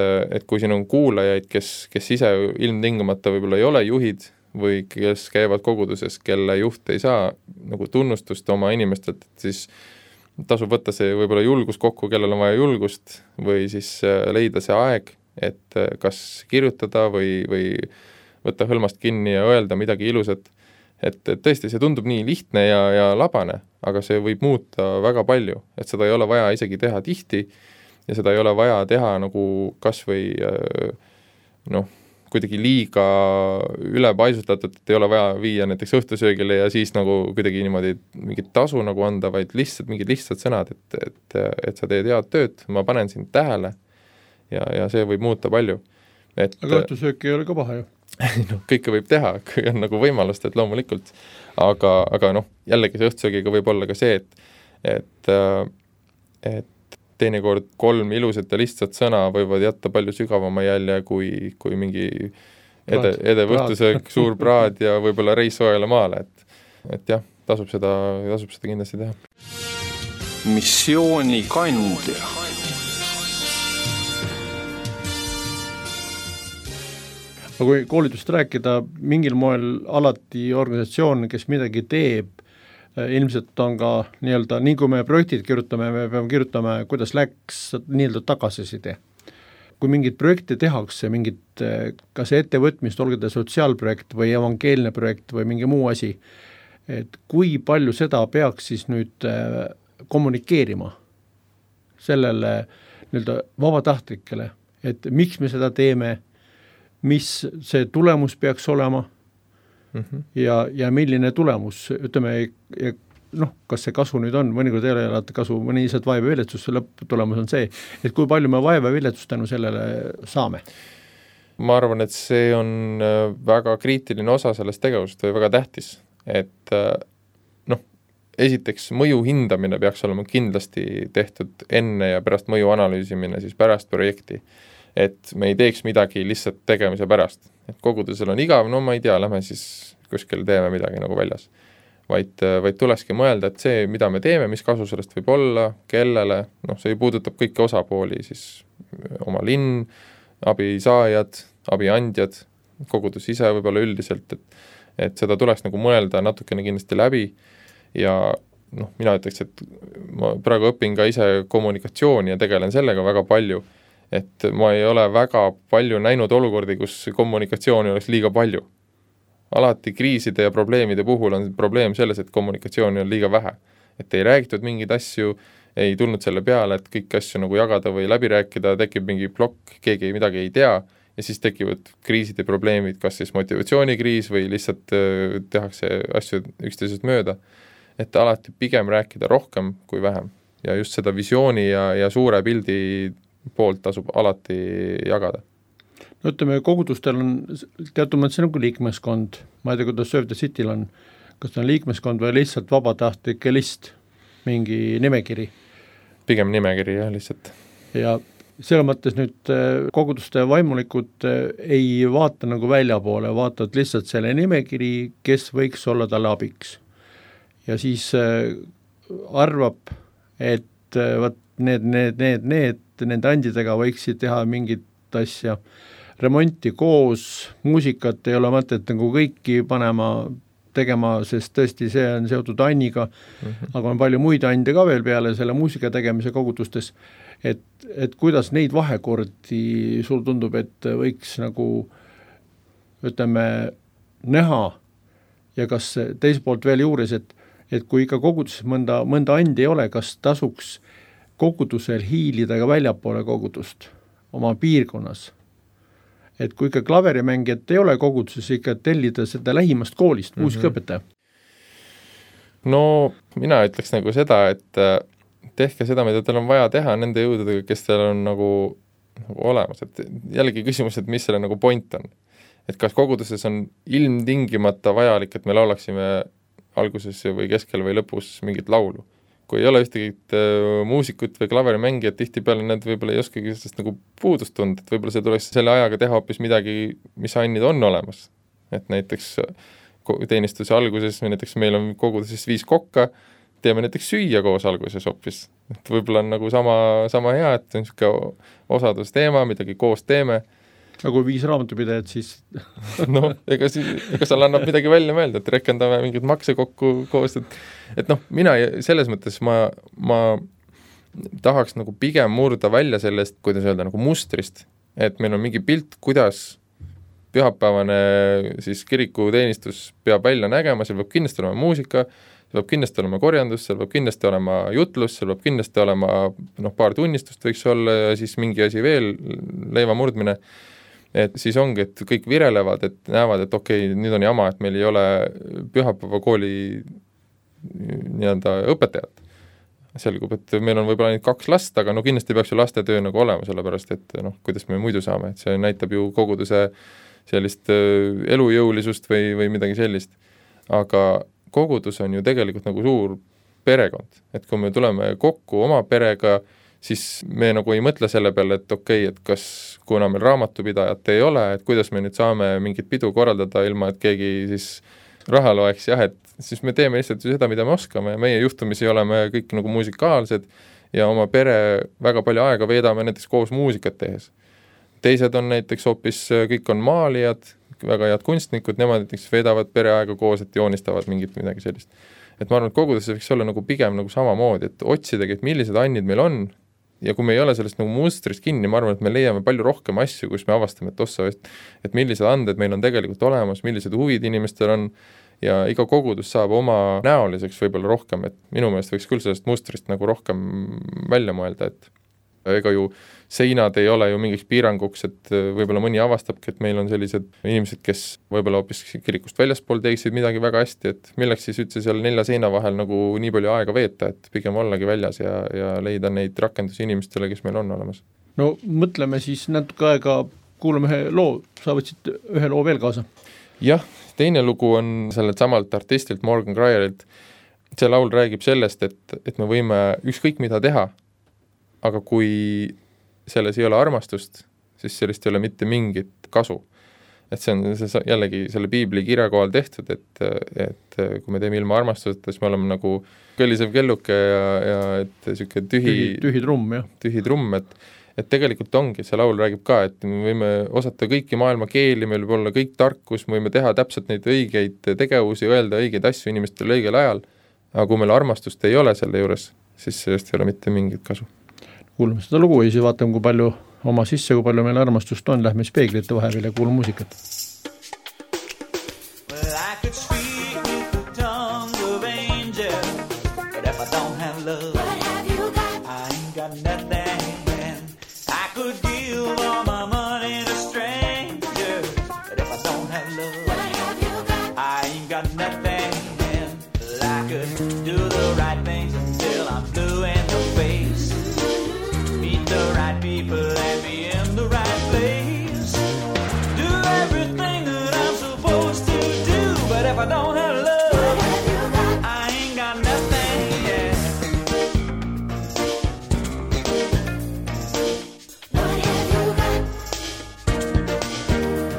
kui siin on kuulajaid, kes ise ilmtingimata võib-olla ei ole juhid või kes käivad koguduses, kelle juht ei saa nagu tunnustust oma inimestelt, siis tasub võtta see võib-olla julgus kokku, kellel on vaja julgust või siis leida see aeg, et kas kirjutada või võtta hõlmast kinni ja öelda midagi ilusat, et tõesti see tundub nii lihtne ja labane, aga see võib muuta väga palju, et seda ei ole vaja isegi teha tihti ja seda ei ole vaja teha nagu kas või kuidagi liiga ülepaisutatud, et ei ole vaja viia näiteks õhtusöögile ja siis nagu kuidagi niimoodi mingit tasu nagu anda, vaid lihtsalt mingid lihtsad sõnad, et sa teed head tööd, ma panen sind tähele ja see võib muuta palju. Aga õhtusöök ei ole ka paha ju. Kõike võib teha, kui on nagu võimalust, et loomulikult, aga jällegi see õhtusöögiga võib olla ka see, et teinekord 3 ilusat ja lihtsat sõna võivad jätta palju sügavama jälje kui mingi edev õhtusöök, suur praad ja võib-olla reis soojale maale, et jah, tasub seda kindlasti teha. Missioonikandja. Aga kui koolitust rääkida, mingil moel alati organisatsioon, kes midagi teeb, ilmselt on ka nii-öelda, nii kui me projektid kirjutame, me peame kirjutama, kuidas läks nii-öelda tagasiside. Kui mingid projekte tehakse, mingid kas ettevõtmist, olgu ta sotsiaalprojekt või evangeelne projekt või mingi muu asi, et kui palju seda peaks siis nüüd kommunikeerima sellele nii-öelda vabatahtlikele, et miks me seda teeme, mis see tulemus peaks olema ja milline tulemus, ütleme, kas see kasu nüüd on, mõnikord ei ole alati kasu, mõni lihtsalt vaeva viletsus, lõpptulemus on see, et kui palju me vaeva viletust tänu sellele saame? Ma arvan, et see on väga kriitiline osa sellest tegevust või väga tähtis, et esiteks mõju hindamine peaks olema kindlasti tehtud enne ja pärast mõju analüüsimine siis pärast projekti, et me ei teeks midagi lihtsalt tegemise pärast, et kogudusel on igav, no ma ei tea, lähme siis kuskil teeme midagi nagu väljas, vaid tulekski mõelda, et see, mida me teeme, mis kasu sellest võib olla, kellele, see puudutab kõiki osapooli, siis oma linn, abisaajad, abiandjad, kogudus ise võib-olla üldiselt, et seda tuleks nagu mõelda natukene kindlasti läbi ja mina ütleks, et ma praegu õpin ka ise kommunikatsiooni ja tegelen sellega väga palju, et ma ei ole väga palju näinud olukordi, kus kommunikatsiooni oleks liiga palju. Alati kriiside ja probleemide puhul on probleem selles, et kommunikatsiooni on liiga vähe. Et ei räägitud mingeid asju, ei tulnud selle peale, et kõik asju nagu jagada või läbi rääkida, tekib mingi plokk, keegi midagi ei tea ja siis tekivad kriisid ja probleemid, kas siis motivatsioonikriis või lihtsalt tehakse asju üksteisest mööda. Et alati pigem rääkida rohkem kui vähem ja just seda visiooni ja suure pildi poolt tasub alati jagada. No ütleme, kogudustel on teatud mõttes nagu liikmeskond, ma ei tea, kuidas Save the Cityl on, kas on liikmeskond või lihtsalt vabatahtlike list, mingi nimekiri? Pigem nimekiri, jah, lihtsalt. Ja selle mõttes nüüd koguduste vaimulikud ei vaata nagu väljapoole, vaatavad lihtsalt selle nimekiri, kes võiks olla talle abiks. Ja siis arvab, et võt, nende andidega võiksid teha mingit asja, remonti koos, muusikat ei ole mõtet nagu kõiki tegema, sest tõesti see on seotud Anniga, aga on palju muid ande ka veel peale selle muusika tegemise kogudustes, et kuidas neid vahekordi sul tundub, et võiks nagu ütleme näha ja kas teiselt poolt veel juures, et kui ikka koguduses mõnda andi ei ole, kas tasuks kogudusel hiilida ka väljapoole kogudust oma piirkonnas? Et kui ikka klaverimängijat ei ole koguduses, ikka tellida seda lähimast koolist, muusikaõpetaja? No mina ütleks nagu seda, et tehke seda, mida teil on vaja teha nende jõududega, kes teil on nagu olemas. Et jällegi küsimus, et mis selle nagu point on. Et kas koguduses on ilmtingimata vajalik, et me laulaksime alguses või keskel või lõpus mingit laulu. Kui ei ole ühtegi muusikut või klaverimängijat, tihtipeale need võib-olla ei oskagi sellest nagu puudust tunda, et võib-olla see tuleks selle ajaga teha hoopis midagi, mis annid on olemas. Et näiteks teenistuse alguses, näiteks meil on koguduses 5 kokka, teeme näiteks süüa koos alguses hoopis. Et võib-olla on nagu sama hea, et on niisugune osadusteema, midagi koos teeme. Aga kui 5 raamatupidajat, siis... ega seal annab midagi välja mõelda, et rekendame mingid makse kokku koos, et mina selles mõttes ma tahaks nagu pigem murda välja sellest, kuidas öelda, nagu mustrist, et meil on mingi pilt, kuidas pühapäevane siis kirikuteenistus peab välja nägema, seal peab kindlasti olema muusika, seal peab kindlasti olema korjandus, seal peab kindlasti olema jutlus, seal peab kindlasti olema paar tunnistust võiks olla ja siis mingi asi veel, leiva murdmine. Et siis ongi, et kõik virelevad, et näevad, et okei, nüüd on jama, et meil ei ole pühapäeva kooli nii-öelda õpetajat. Selgub, et meil on võib-olla ainult 2 last, aga kindlasti peaks ju lastetöö nagu olema, sellepärast, et kuidas me muidu saame, et see näitab ju koguduse sellist elujõulisust või midagi sellist. Aga kogudus on ju tegelikult nagu suur perekond, et kui me tuleme kokku oma perega, siis me nagu ei mõtle selle peale, et okei, et kas kuna meil raamatupidajat ei ole, et kuidas me nüüd saame mingit pidu korraldada ilma, et keegi siis raha loeks, jah, et siis me teeme lihtsalt seda, mida me oskame ja meie juhtumisi oleme kõik nagu muusikaalsed ja oma pere väga palju aega veedame näiteks koos muusikat tehes. Teised on näiteks hoopis, kõik on maalijad, väga head kunstnikud, nemad näiteks veedavad pereaega koos, et joonistavad midagi sellist. Et ma arvan, et koguduses võiks olla nagu pigem nagu samamoodi, et otsidagi, et millised annid meil on ja kui me ei ole sellest nagu mustrist kinni, ma arvan, et me leiame palju rohkem asju, kus me avastame, et millised anded meil on tegelikult olemas, millised huvid inimestel on ja iga kogudus saab oma näoliseks võib-olla rohkem, et minu meelest võiks küll sellest mustrist nagu rohkem välja mõelda, ega ju seinad ei ole ju mingiks piiranguks, et võib-olla mõni avastabki, et meil on sellised inimesed, kes võib-olla hoopis kirikust väljaspool teeksid midagi väga hästi, et milleks siis üldse seal 4 seina vahel nagu nii palju aega veeta, et pigem ollagi väljas ja leida neid rakendusi inimestele, kes meil on olemas. No mõtleme siis natuke aega, kuulame ühe loo, sa võtsid ühe loo veel kaasa. Jah, teine lugu on sellelt samalt artistilt Morgan Cryerilt. See laul räägib sellest, et me võime ükskõik mida teha, aga kui selles ei ole armastust, siis sellest ei ole mitte mingit kasu. Et see on jällegi selle piibli kirja kohal tehtud, et kui me teeme ilma armastuseta, siis me oleme nagu kõllisev kelluke ja et siuke tühi trumm, jah. Tühi trumm, et tegelikult ongi, see laul räägib ka, et me võime osata kõiki maailma keeli, meil võib olla kõik tarkus, me võime teha täpselt neid õigeid tegevusi, öelda õigeid asju inimestele õigel ajal, aga kui meil armastust ei ole selle juures, siis sellest ei ole mitte mingit kasu. Kuulame seda lugu ja siis vaatame, kui palju oma sisse, kui palju meil armastust on, lähme speeglite vahepeal ja kuulame muusikat. Well, I could speak with the tongue of angels, but if I don't have love, what have you got? I ain't got nothing. I could give all my money to strangers, but if I don't have love, what have you got? I ain't got nothing. Well, I could do the right things until I'm blue in the face, meet the right people and be in the right place, do everything that I'm supposed to do, but if I don't have love, I ain't got nothing, yeah.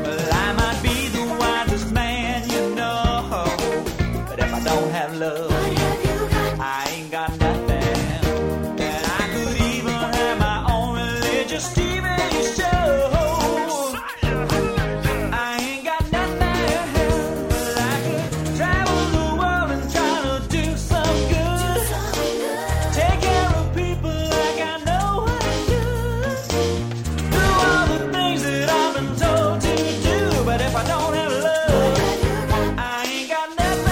Well, I might be the wisest man you know, but if I don't have love, I ain't got nothing. And I could even have my own religious TV show. I ain't got nothing. But I could travel the world and try to do some good, take care of people like I know how to do all the things that I've been told to do. But if I don't have love, I ain't got nothing.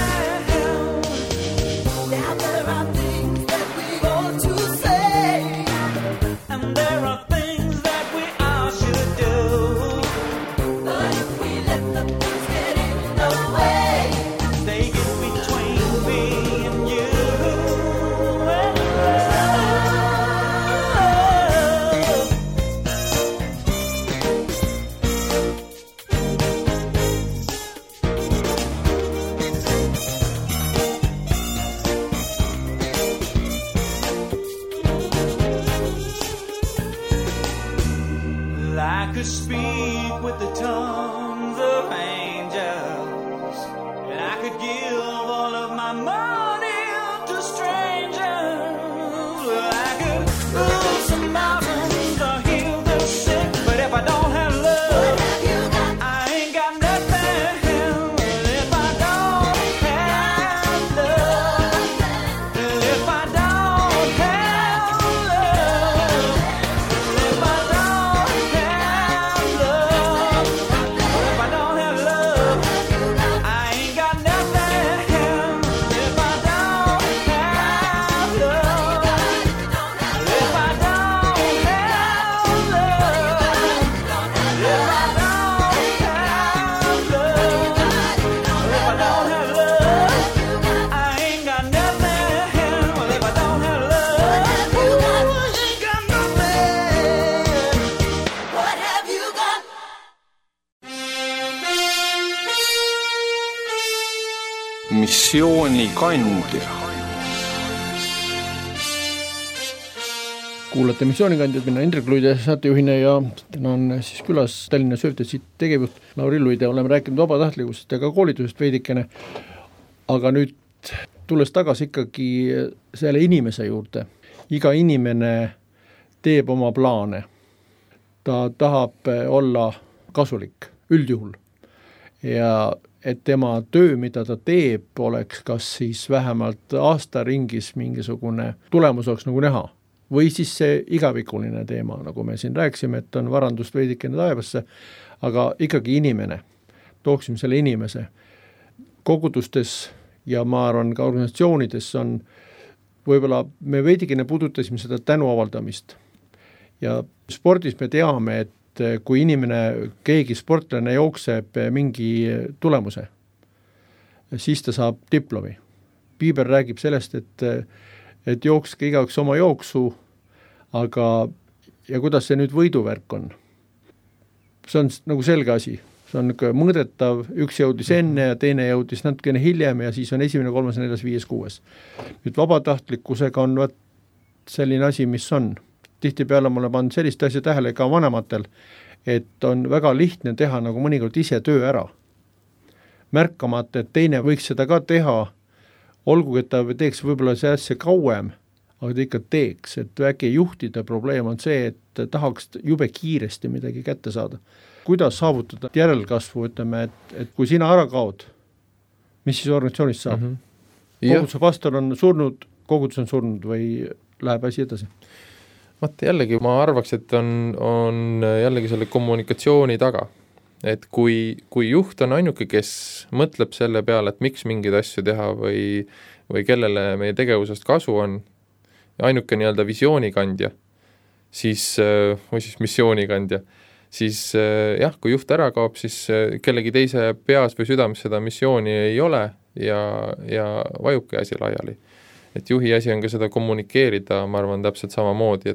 Now there are things that we ought to say, and there are things that we all should do. But if we let the things get in the way, they get between me and you. And I could speak with the tongues of angels, and I could give all of my money to strangers. I could move some mountains or heal the sick, but if I don't have love, I ain't got nothing. If I don't have love, if I don't have love, if I don't have love, if I don't have love, I ain't got nothing. If I don't have love, if I don't have love, if I don't have love, if I don't have love, I ain't got nothing. Well, if I don't have love, I ain't got nothing. What have you got? missiooni kandja. Kuulate missioonikandjad, minna Indrek Luide saatejuhina ja täna on siis külas Tallinna Söövtesi tegevjuht Lauri Luide. Oleme rääkinud vabatahtlikust ja ka koolitusest veidikene, aga nüüd tulles tagasi ikkagi selle inimese juurde. Iga inimene teeb oma plaane. Ta tahab olla kasulik üldjuhul ja et tema töö, mida ta teeb, oleks kas siis vähemalt aastaringis mingisugune tulemus oleks nagu näha. Või siis see igavikuline teema, nagu me siin rääksime, et on varandust veidikene taevasse, aga ikkagi inimene, tooksime selle inimese. Kogudustes ja ma arvan ka organisatsioonides on, võib-olla me veidikene puudutasime seda tänu avaldamist. ja spordis me teame, et kui inimene, keegi sportlane jookseb mingi tulemuse, siis ta saab diplomi. Piiber räägib sellest, et jookske igaüks oma jooksu, aga ja kuidas see nüüd võiduvärk on? See on nagu selge asi, see on mõõdetav, üks jõudis enne ja teine jõudis natukene hiljem ja siis on 1., 3., 4., 5., 6. Nüüd vabatahtlikkusega on selline asi, mis on. Tihtipeale mulle pannud sellist asja tähele ka vanematel, et on väga lihtne teha nagu mõnikord ise töö ära. Märkamata, et teine võiks seda ka teha, olgugi, et ta teeks võib-olla see asja kauem, aga ta ikka teeks, et väike juhtida probleem on see, et tahaks jube kiiresti midagi kätte saada. Kuidas saavutada järelkasvu, ütleme, et kui sina ära kaod, mis siis organisatsioonist saab? Koguduse pastor on surnud, kogudus on surnud või läheb asi edasi? Vaata jällegi, ma arvaks, et on jällegi selle kommunikatsiooni taga. Et kui juht on ainuke, kes mõtleb selle peale, et miks mingeid asju teha või kellele meie tegevusest kasu on, ainuke nii-öelda visioonikandja, või siis missioonikandja, siis jah, kui juht ära kaob, siis kellegi teise peas või südames seda missiooni ei ole ja vajubki asi laiali. Et juhi asi on ka seda kommunikeerida, ma arvan täpselt samamoodi,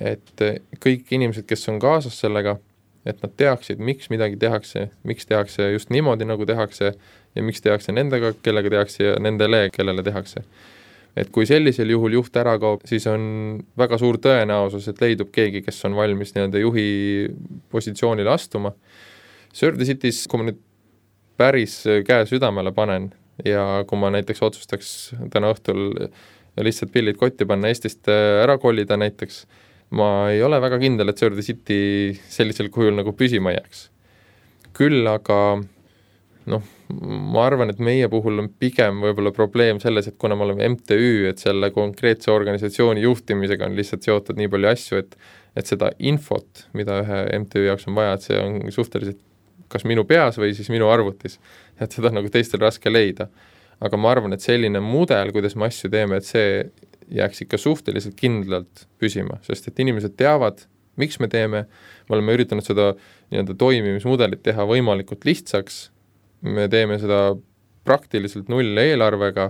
et kõik inimesed, kes on kaasas sellega, et nad teaksid, miks midagi tehakse, miks tehakse just niimoodi, nagu tehakse ja miks tehakse nendega, kellega tehakse ja nendele, kellele tehakse. Et kui sellisel juhul juht ära kaob, siis on väga suur tõenäosus, et leidub keegi, kes on valmis nii-öelda juhi positsioonile astuma. Sir the City's, kui ma nüüd päris käe südamele panen ja kui ma näiteks otsustaks täna õhtul lihtsalt pillid kotti panna Eestist ära kolida näiteks, ma ei ole väga kindel, et Sir the City sellisel kujul nagu püsima jääks. Küll aga ma arvan, et meie puhul on pigem võib-olla probleem selles, et kuna me oleme MTÜ, et selle konkreetse organisatsiooni juhtimisega on lihtsalt seotud nii palju asju, et seda infot, mida ühe MTÜ jaoks on vaja, et see on suhteliselt kas minu peas või siis minu arvutis, et seda on nagu teistel raske leida. Aga ma arvan, et selline mudel, kuidas me asju teeme, et see jääks ikka suhteliselt kindlalt püsima, sest et inimesed teavad, miks me teeme, me oleme üritanud seda nii-öelda toimimismudelit teha võimalikult lihtsaks, me teeme seda praktiliselt null eelarvega,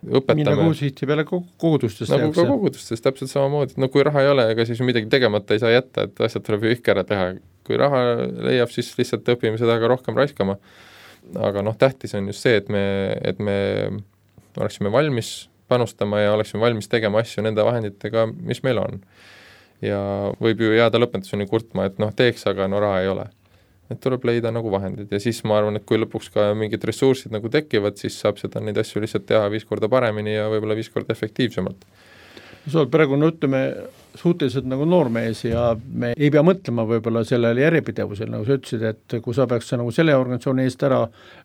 õpetame. Nii nagu sihti peale kogudustes nagu ka kogudustes, täpselt samamoodi. No kui raha ei ole, ega siis midagi tegemata ei saa jätta, et asjad tuleb ju ikka ära teha. Kui raha leiab, siis lihtsalt õpime seda ka rohkem raiskama. Aga tähtis on just see, et me oleksime valmis panustama ja oleksime valmis tegema asju nende vahenditega, mis meil on. Ja võib ju jääda lõpetuseni kurtma, et teeks, aga raha ei ole. Et tuleb leida nagu vahendid ja siis ma arvan, et kui lõpuks ka mingid ressursid nagu tekivad, siis saab seda neid asju lihtsalt teha 5 korda paremini ja võib-olla 5 korda efektiivsemalt. Sa oled praegu ütleme suhteliselt nagu noormees ja me ei pea mõtlema võib-olla sellele järjepidevusel, nagu sa ütlesid, et kui sa peaks nagu selle organisatsiooni eest ära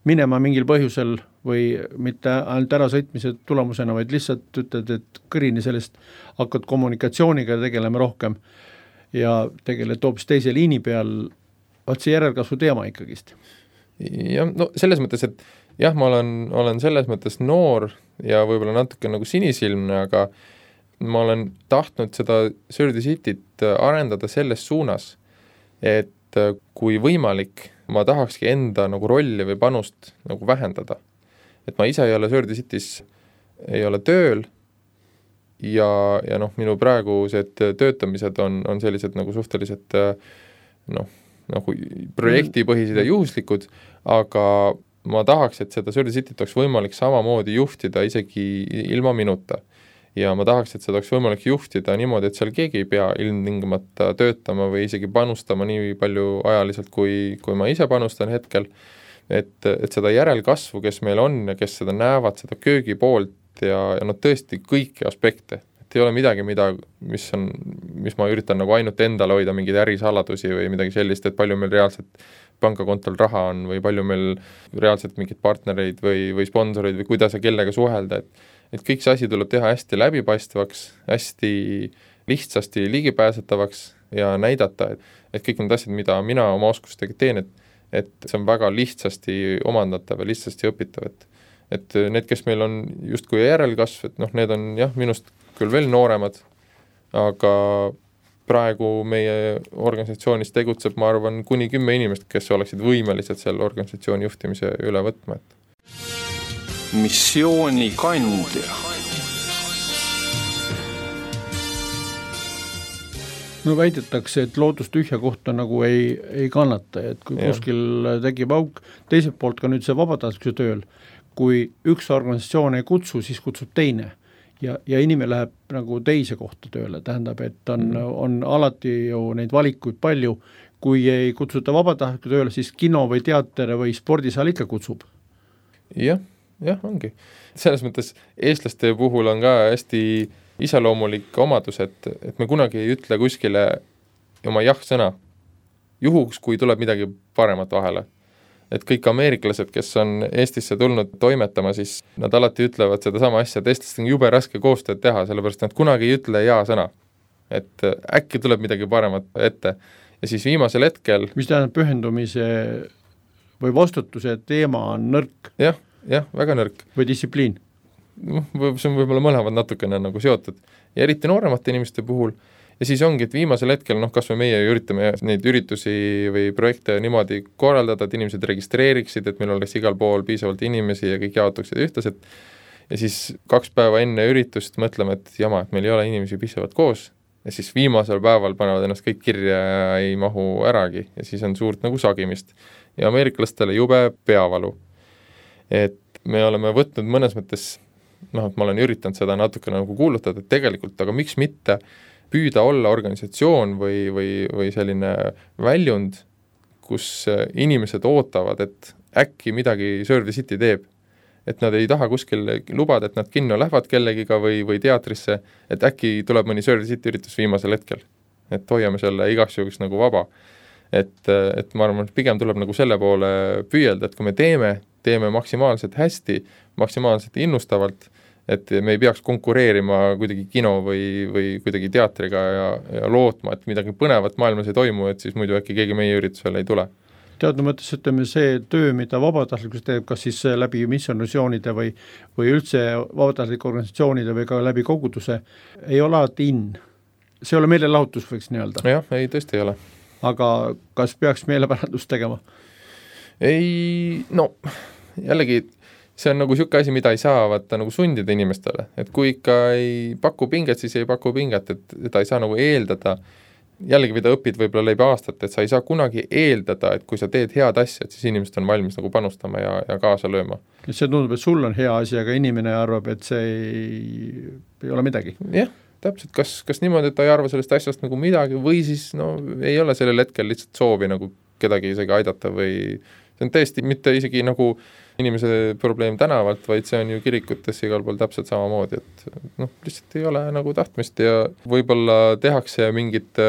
minema mingil põhjusel või mitte ainult ära sõitmise tulemusena, vaid lihtsalt ütled, et kõrini sellest hakkad kommunikatsiooniga tegelema rohkem ja tegeled hoopis teise liini peal, vaat see järelkasvu teema ikkagist. Ja selles mõttes, et jah, ma olen selles mõttes noor ja võib-olla natuke nagu sinisilmne, aga ma olen tahtnud seda Sir the Cityt arendada selles suunas, et kui võimalik, ma tahakski enda nagu rolli või panust nagu vähendada. Et ma ise ei ole Sir the City's, ei ole tööl ja minu praegused töötamised on sellised nagu suhteliselt nagu projektipõhised ja juhuslikud, aga ma tahaks, et seda Sir the Cityt oleks võimalik samamoodi juhtida isegi ilma minuta. Ja ma tahaks, et seda oleks võimalik juhtida niimoodi, et seal keegi ei pea ilmtingimata töötama või isegi panustama nii palju ajaliselt, kui ma ise panustan hetkel. Et seda järelkasvu, kes meil on ja kes seda näevad, seda köögi poolt ja tõesti kõiki aspekte. Ei ole midagi, mis ma üritan nagu ainult endale hoida mingeid ärisaladusi või midagi sellist, et palju meil reaalselt pangakontol raha on või palju meil reaalselt mingeid partnereid või sponsoreid või kuidas ja kellega suhelda, et kõik see asi tuleb teha hästi läbipaistvaks, hästi lihtsasti ligipääsetavaks ja näidata, et kõik need asjad, mida mina oma oskustega teen, et see on väga lihtsasti omandatav ja lihtsasti õpitav, et need, kes meil on justkui järelkasv, et need on jah, minust küll veel nooremad, aga praegu meie organisatsioonis tegutseb, ma arvan, kuni 10 inimest, kes oleksid võimelised selle organisatsiooni juhtimise üle võtma. Missioonikandja. No väidetakse, et loodus tühja kohta nagu ei kannata, et kui kuskil tekib auk, teiselt poolt ka nüüd see vabatahtlikkuse tööl, kui üks organisatsioon ei kutsu, siis kutsub teine ja inimene läheb nagu teise kohta tööle, tähendab, et on alati ju neid valikuid palju, kui ei kutsuta vabatahtliku tööle, siis kino või teater või spordisaal ikka kutsub. Jah, ongi. Selles mõttes eestlaste puhul on ka hästi iseloomulik omadus, et me kunagi ei ütle kuskile oma jah-sõna, juhuks, kui tuleb midagi paremat vahele. Et kõik ameeriklased, kes on Eestisse tulnud toimetama, siis nad alati ütlevad seda sama asja, et eestlast on jube raske koostööd teha, sellepärast nad kunagi ei ütle jaa-sõna. Et äkki tuleb midagi paremat ette. Ja siis viimasel hetkel... Mis tähendab pühendumise või vastutuse teema on nõrk? Jah, väga nõrk. Või distsipliin? See on võib-olla mõlemad natukene nagu seotud ja eriti nooremate inimeste puhul ja siis ongi, et viimasel hetkel, kas me meie üritame neid üritusi või projekte niimoodi korraldada, et inimesed registreeriksid, et meil oleks igal pool piisavalt inimesi ja kõik jaotuksid ühtlaselt ja siis 2 päeva enne üritust mõtleme, et jama, et meil ei ole inimesi piisavalt koos ja siis viimasel päeval panevad ennast kõik kirja ja ei mahu äragi ja siis on suurt nagu sagimist ja ameeriklastele jube peavalu. Et me oleme võtnud mõnes mõttes et ma olen üritanud seda natuke nagu kuulutada, et tegelikult, aga miks mitte püüda olla organisatsioon või selline väljund, kus inimesed ootavad, et äkki midagi Serve the City teeb. Et nad ei taha kuskil lubada, et nad kinno lähevad kellegiga või teatrisse, et äkki tuleb mõni Serve the City üritus viimasel hetkel. Et hoiame selle igaks juhuks nagu vaba. Et ma arvan, et pigem tuleb nagu selle poole püüelda, et kui me teeme maksimaalselt hästi, maksimaalselt innustavalt, et me ei peaks konkureerima kuidagi kino või kuidagi teatriga ja lootma, et midagi põnevat maailmas ei toimu, et siis muidu äkki keegi meie üritusele ei tule. Teadnud mõttes, ütleme, see töö, mida vabatahtlikus teeb, kas siis läbi missionissioonide või üldse vabatahtlike organisatsioonide või ka läbi koguduse, ei ole alati See ei ole meelelahutus, võiks nii öelda. Jah, ei, tõesti ei ole. Aga kas peaks meelepärandust tegema? Ei, jällegi see on nagu siuke asi, mida ei saa vaata nagu sundida inimestele, et kui ikka ei paku pinget, siis ei paku pinget, et ta ei saa nagu eeldada, jällegi mida õpid võib-olla läbi aastat, et sa ei saa kunagi eeldada, et kui sa teed head asja, et siis inimesed on valmis nagu panustama ja kaasa lööma. See tundub, et sul on hea asi, aga inimene arvab, et see ei ole midagi. Jah, täpselt, kas niimoodi, et ta ei arva sellest asjast nagu midagi või siis ei ole sellel hetkel lihtsalt soovi nagu kedagi isegi aidata või see on tõesti mitte isegi nagu inimese probleem tänavalt, vaid see on ju kirikutes igal pool täpselt samamoodi, et lihtsalt ei ole nagu tahtmist ja võib-olla tehakse mingit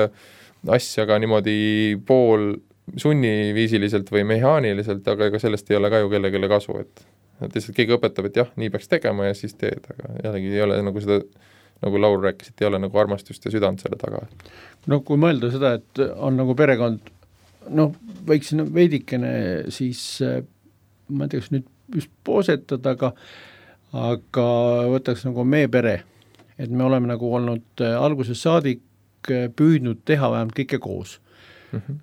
asja ka niimoodi pool sunniviisiliselt või mehaaniliselt, aga ega sellest ei ole ka ju kellelegi kasu, et lihtsalt keegi õpetab, et jah, nii peaks tegema ja siis teed, aga jällegi ei ole nagu seda, nagu Laur rääkis, et ei ole nagu armastust ja südant selle taga. Kui mõelda seda, et on nagu perekond, võiksin veidikene siis ma ei tea, kas nüüd just poosetada, aga võtaks nagu meie pere, et me oleme nagu olnud alguses saadik püüdnud teha vähemalt kõike koos.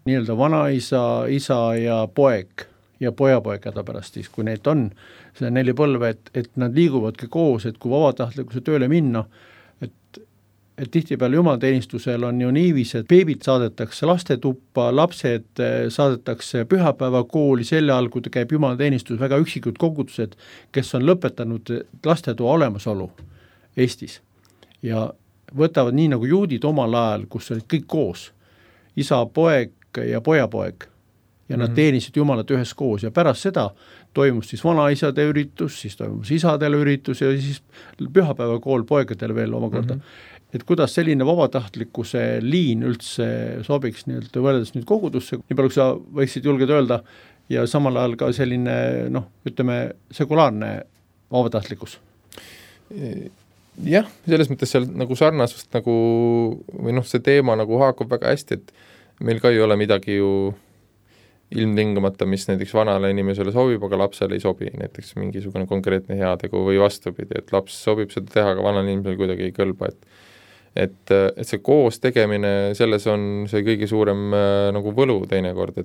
Nii-öelda vanaisa, isa ja poeg ja pojapoeg hädapärast siis, kui neid on, see 4 põlve, et nad liiguvadki koos, et kui vabatahtlikkuse tööle minna, et tihtipeale jumalateenistusel on ju niivis, et beebid saadetakse lastetuppa, lapsed saadetakse pühapäevakooli, selle all, kui käib jumalateenistus, väga üksikud kogudused, kes on lõpetanud lastetoa olemasolu Eestis ja võtavad nii nagu juudid omal ajal, kus olid kõik koos, isa, poeg ja pojapoeg ja nad teenisid jumalat ühes koos ja pärast seda toimus siis vanaisade üritus, siis toimus isadele üritus ja siis pühapäevakool poegadele veel omakorda. Et kuidas selline vabatahtlikkuse liin üldse sobiks nii-öelda võrreldes nüüd kogudusse, nii palju kui sa võiksid julged öelda ja samal ajal ka selline, ütleme, sekulaarne vabatahtlikkus? Jah, selles mõttes seal nagu sarnasust nagu, või see teema nagu haakub väga hästi, et meil ka ei ole midagi ju ilmtingimata, mis näiteks vanale inimesele sobib, aga lapsele ei sobi, näiteks mingisugune konkreetne heategu või vastupidi, et laps sobib seda teha, aga vanale inimesele kuidagi ei kõlba, et see koos tegemine, selles on see kõige suurem nagu võlu teinekord,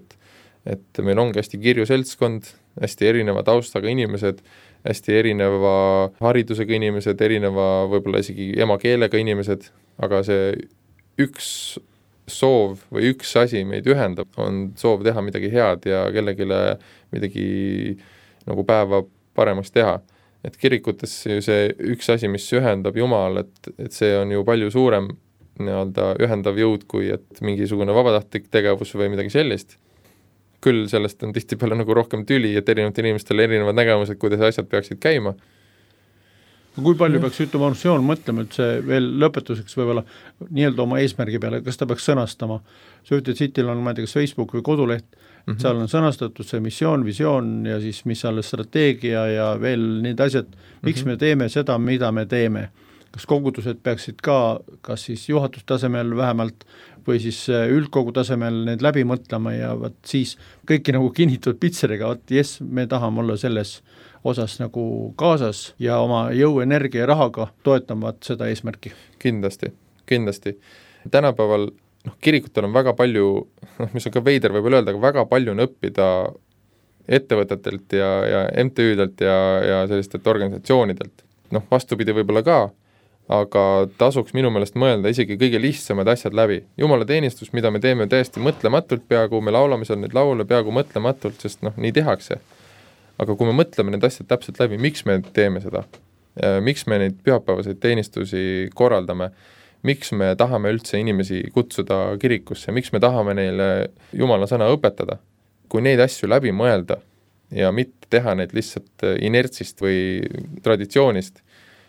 et meil ongi hästi kirju seltskond, hästi erineva taustaga inimesed, hästi erineva haridusega inimesed, erineva võib-olla isegi emakeelega inimesed, aga see üks soov või üks asi meid ühendab, on soov teha midagi head ja kellegile midagi nagu päeva paremaks teha. Et kirikutes see üks asi, mis ühendab Jumal, et see on ju palju suurem nii-öelda ühendav jõud, kui et mingisugune vabatahtlik tegevus või midagi sellist. Küll sellest on tihtipeale nagu rohkem tüli, et erinevatel inimestel erinevad nägemused, kuidas asjad peaksid käima. Kui palju peaks ütlema organisatsioon mõtlema, et see veel lõpetuseks võib-olla nii-öelda oma eesmärgi peale, kas ta peaks sõnastama? Sööted Cityl on, ma ei tea, kas Facebook või koduleht, seal on sõnastatud see missioon, visioon ja siis mis on strateegia ja veel need asjad, miks me teeme seda, mida me teeme. Kas kogudused peaksid ka, kas siis juhatustasemel vähemalt või siis üldkogu tasemel need läbi mõtlema ja võt siis kõiki nagu kinnitatud pitseriga, jes, me tahame olla selles osas nagu kaasas ja oma jõu, energia ja rahaga toetavad seda eesmärki. Kindlasti. Tänapäeval kirikutel on väga palju, mis on ka veider võib-olla öelda, aga väga palju on õppida ettevõtetelt ja MTÜ-delt ja sellistelt organisatsioonidelt. Vastupidi võib-olla ka, aga tasuks minu meelest mõelda isegi kõige lihtsamad asjad läbi. Jumala teenistus, mida me teeme täiesti mõtlematult, peaaegu me laulame seal neid laule peaaegu mõtlematult, sest nii tehakse. Aga kui me mõtleme need asjad täpselt läbi, miks me teeme seda, miks me neid pühapäevaseid teenistusi korraldame, miks me tahame üldse inimesi kutsuda kirikusse, miks me tahame neile Jumala sõna õpetada, kui neid asju läbi mõelda ja mitte teha neid lihtsalt inertsist või traditsioonist,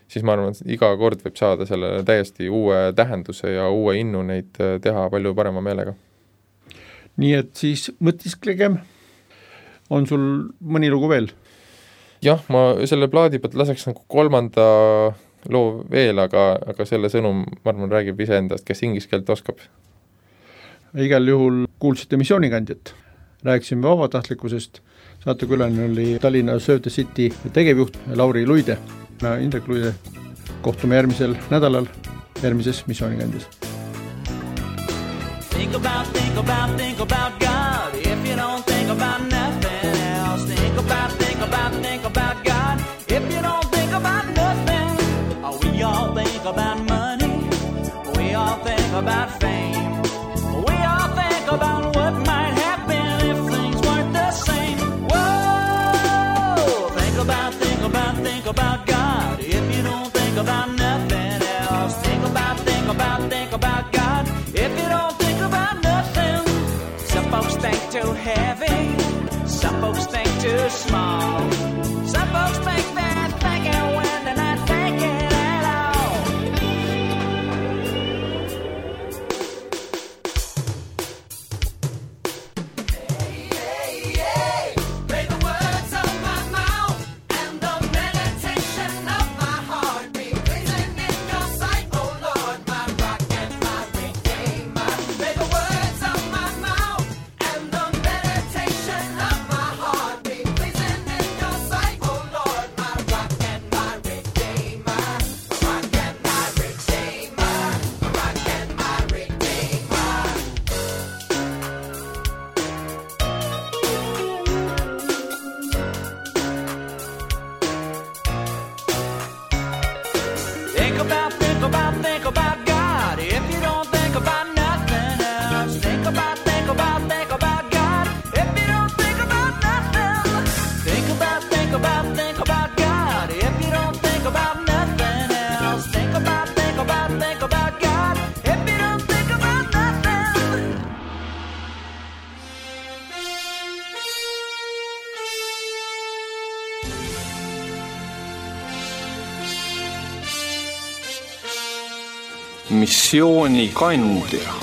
siis ma arvan, et iga kord võib saada sellele täiesti uue tähenduse ja uue innu neid teha palju parema meelega. Nii et siis mõtisklegem. On sul mõni lugu veel? Jah, ma selle plaadi pealt laseks nagu 3. loo veel, aga selle sõnum, ma arvan, räägib ise endast, kes ingliskeelt oskab. Igal juhul kuulsite missioonikandjat. Rääkisime vabatahtlikkusest. Saatekülaline oli Tallinna Sööted City tegevjuht Lauri Luide. Indrek Luide. Kohtume järgmisel nädalal järgmises missioonikandjas. Think about God. If you don't think about nothing else, think about God. If you don't think about nothing, we all think about money. We all think about fame. We all think about what might happen if things weren't the same. Whoa! Think about God. If you don't think about nothing else, think about God. If you don't think about nothing, some folks think too heavy, some folks think too small, some folks think they're thinking when they're not thinking at all. Hey, may the words of my mouth and the meditation of my heart be pleasing in your sight, oh Lord, my rock and my redeemer. May the words of my mouth and the meditation of my heart be pleasing in your sight, oh Lord, my rock and my redeemer. Rock and my redeemer. Rock and my redeemer. Think about God. If you don't think about nothing else, think about God. If you don't think about nothing, think about God. If you don't think about nothing else, think about God. If you don't think about nothing. Missioonikandja.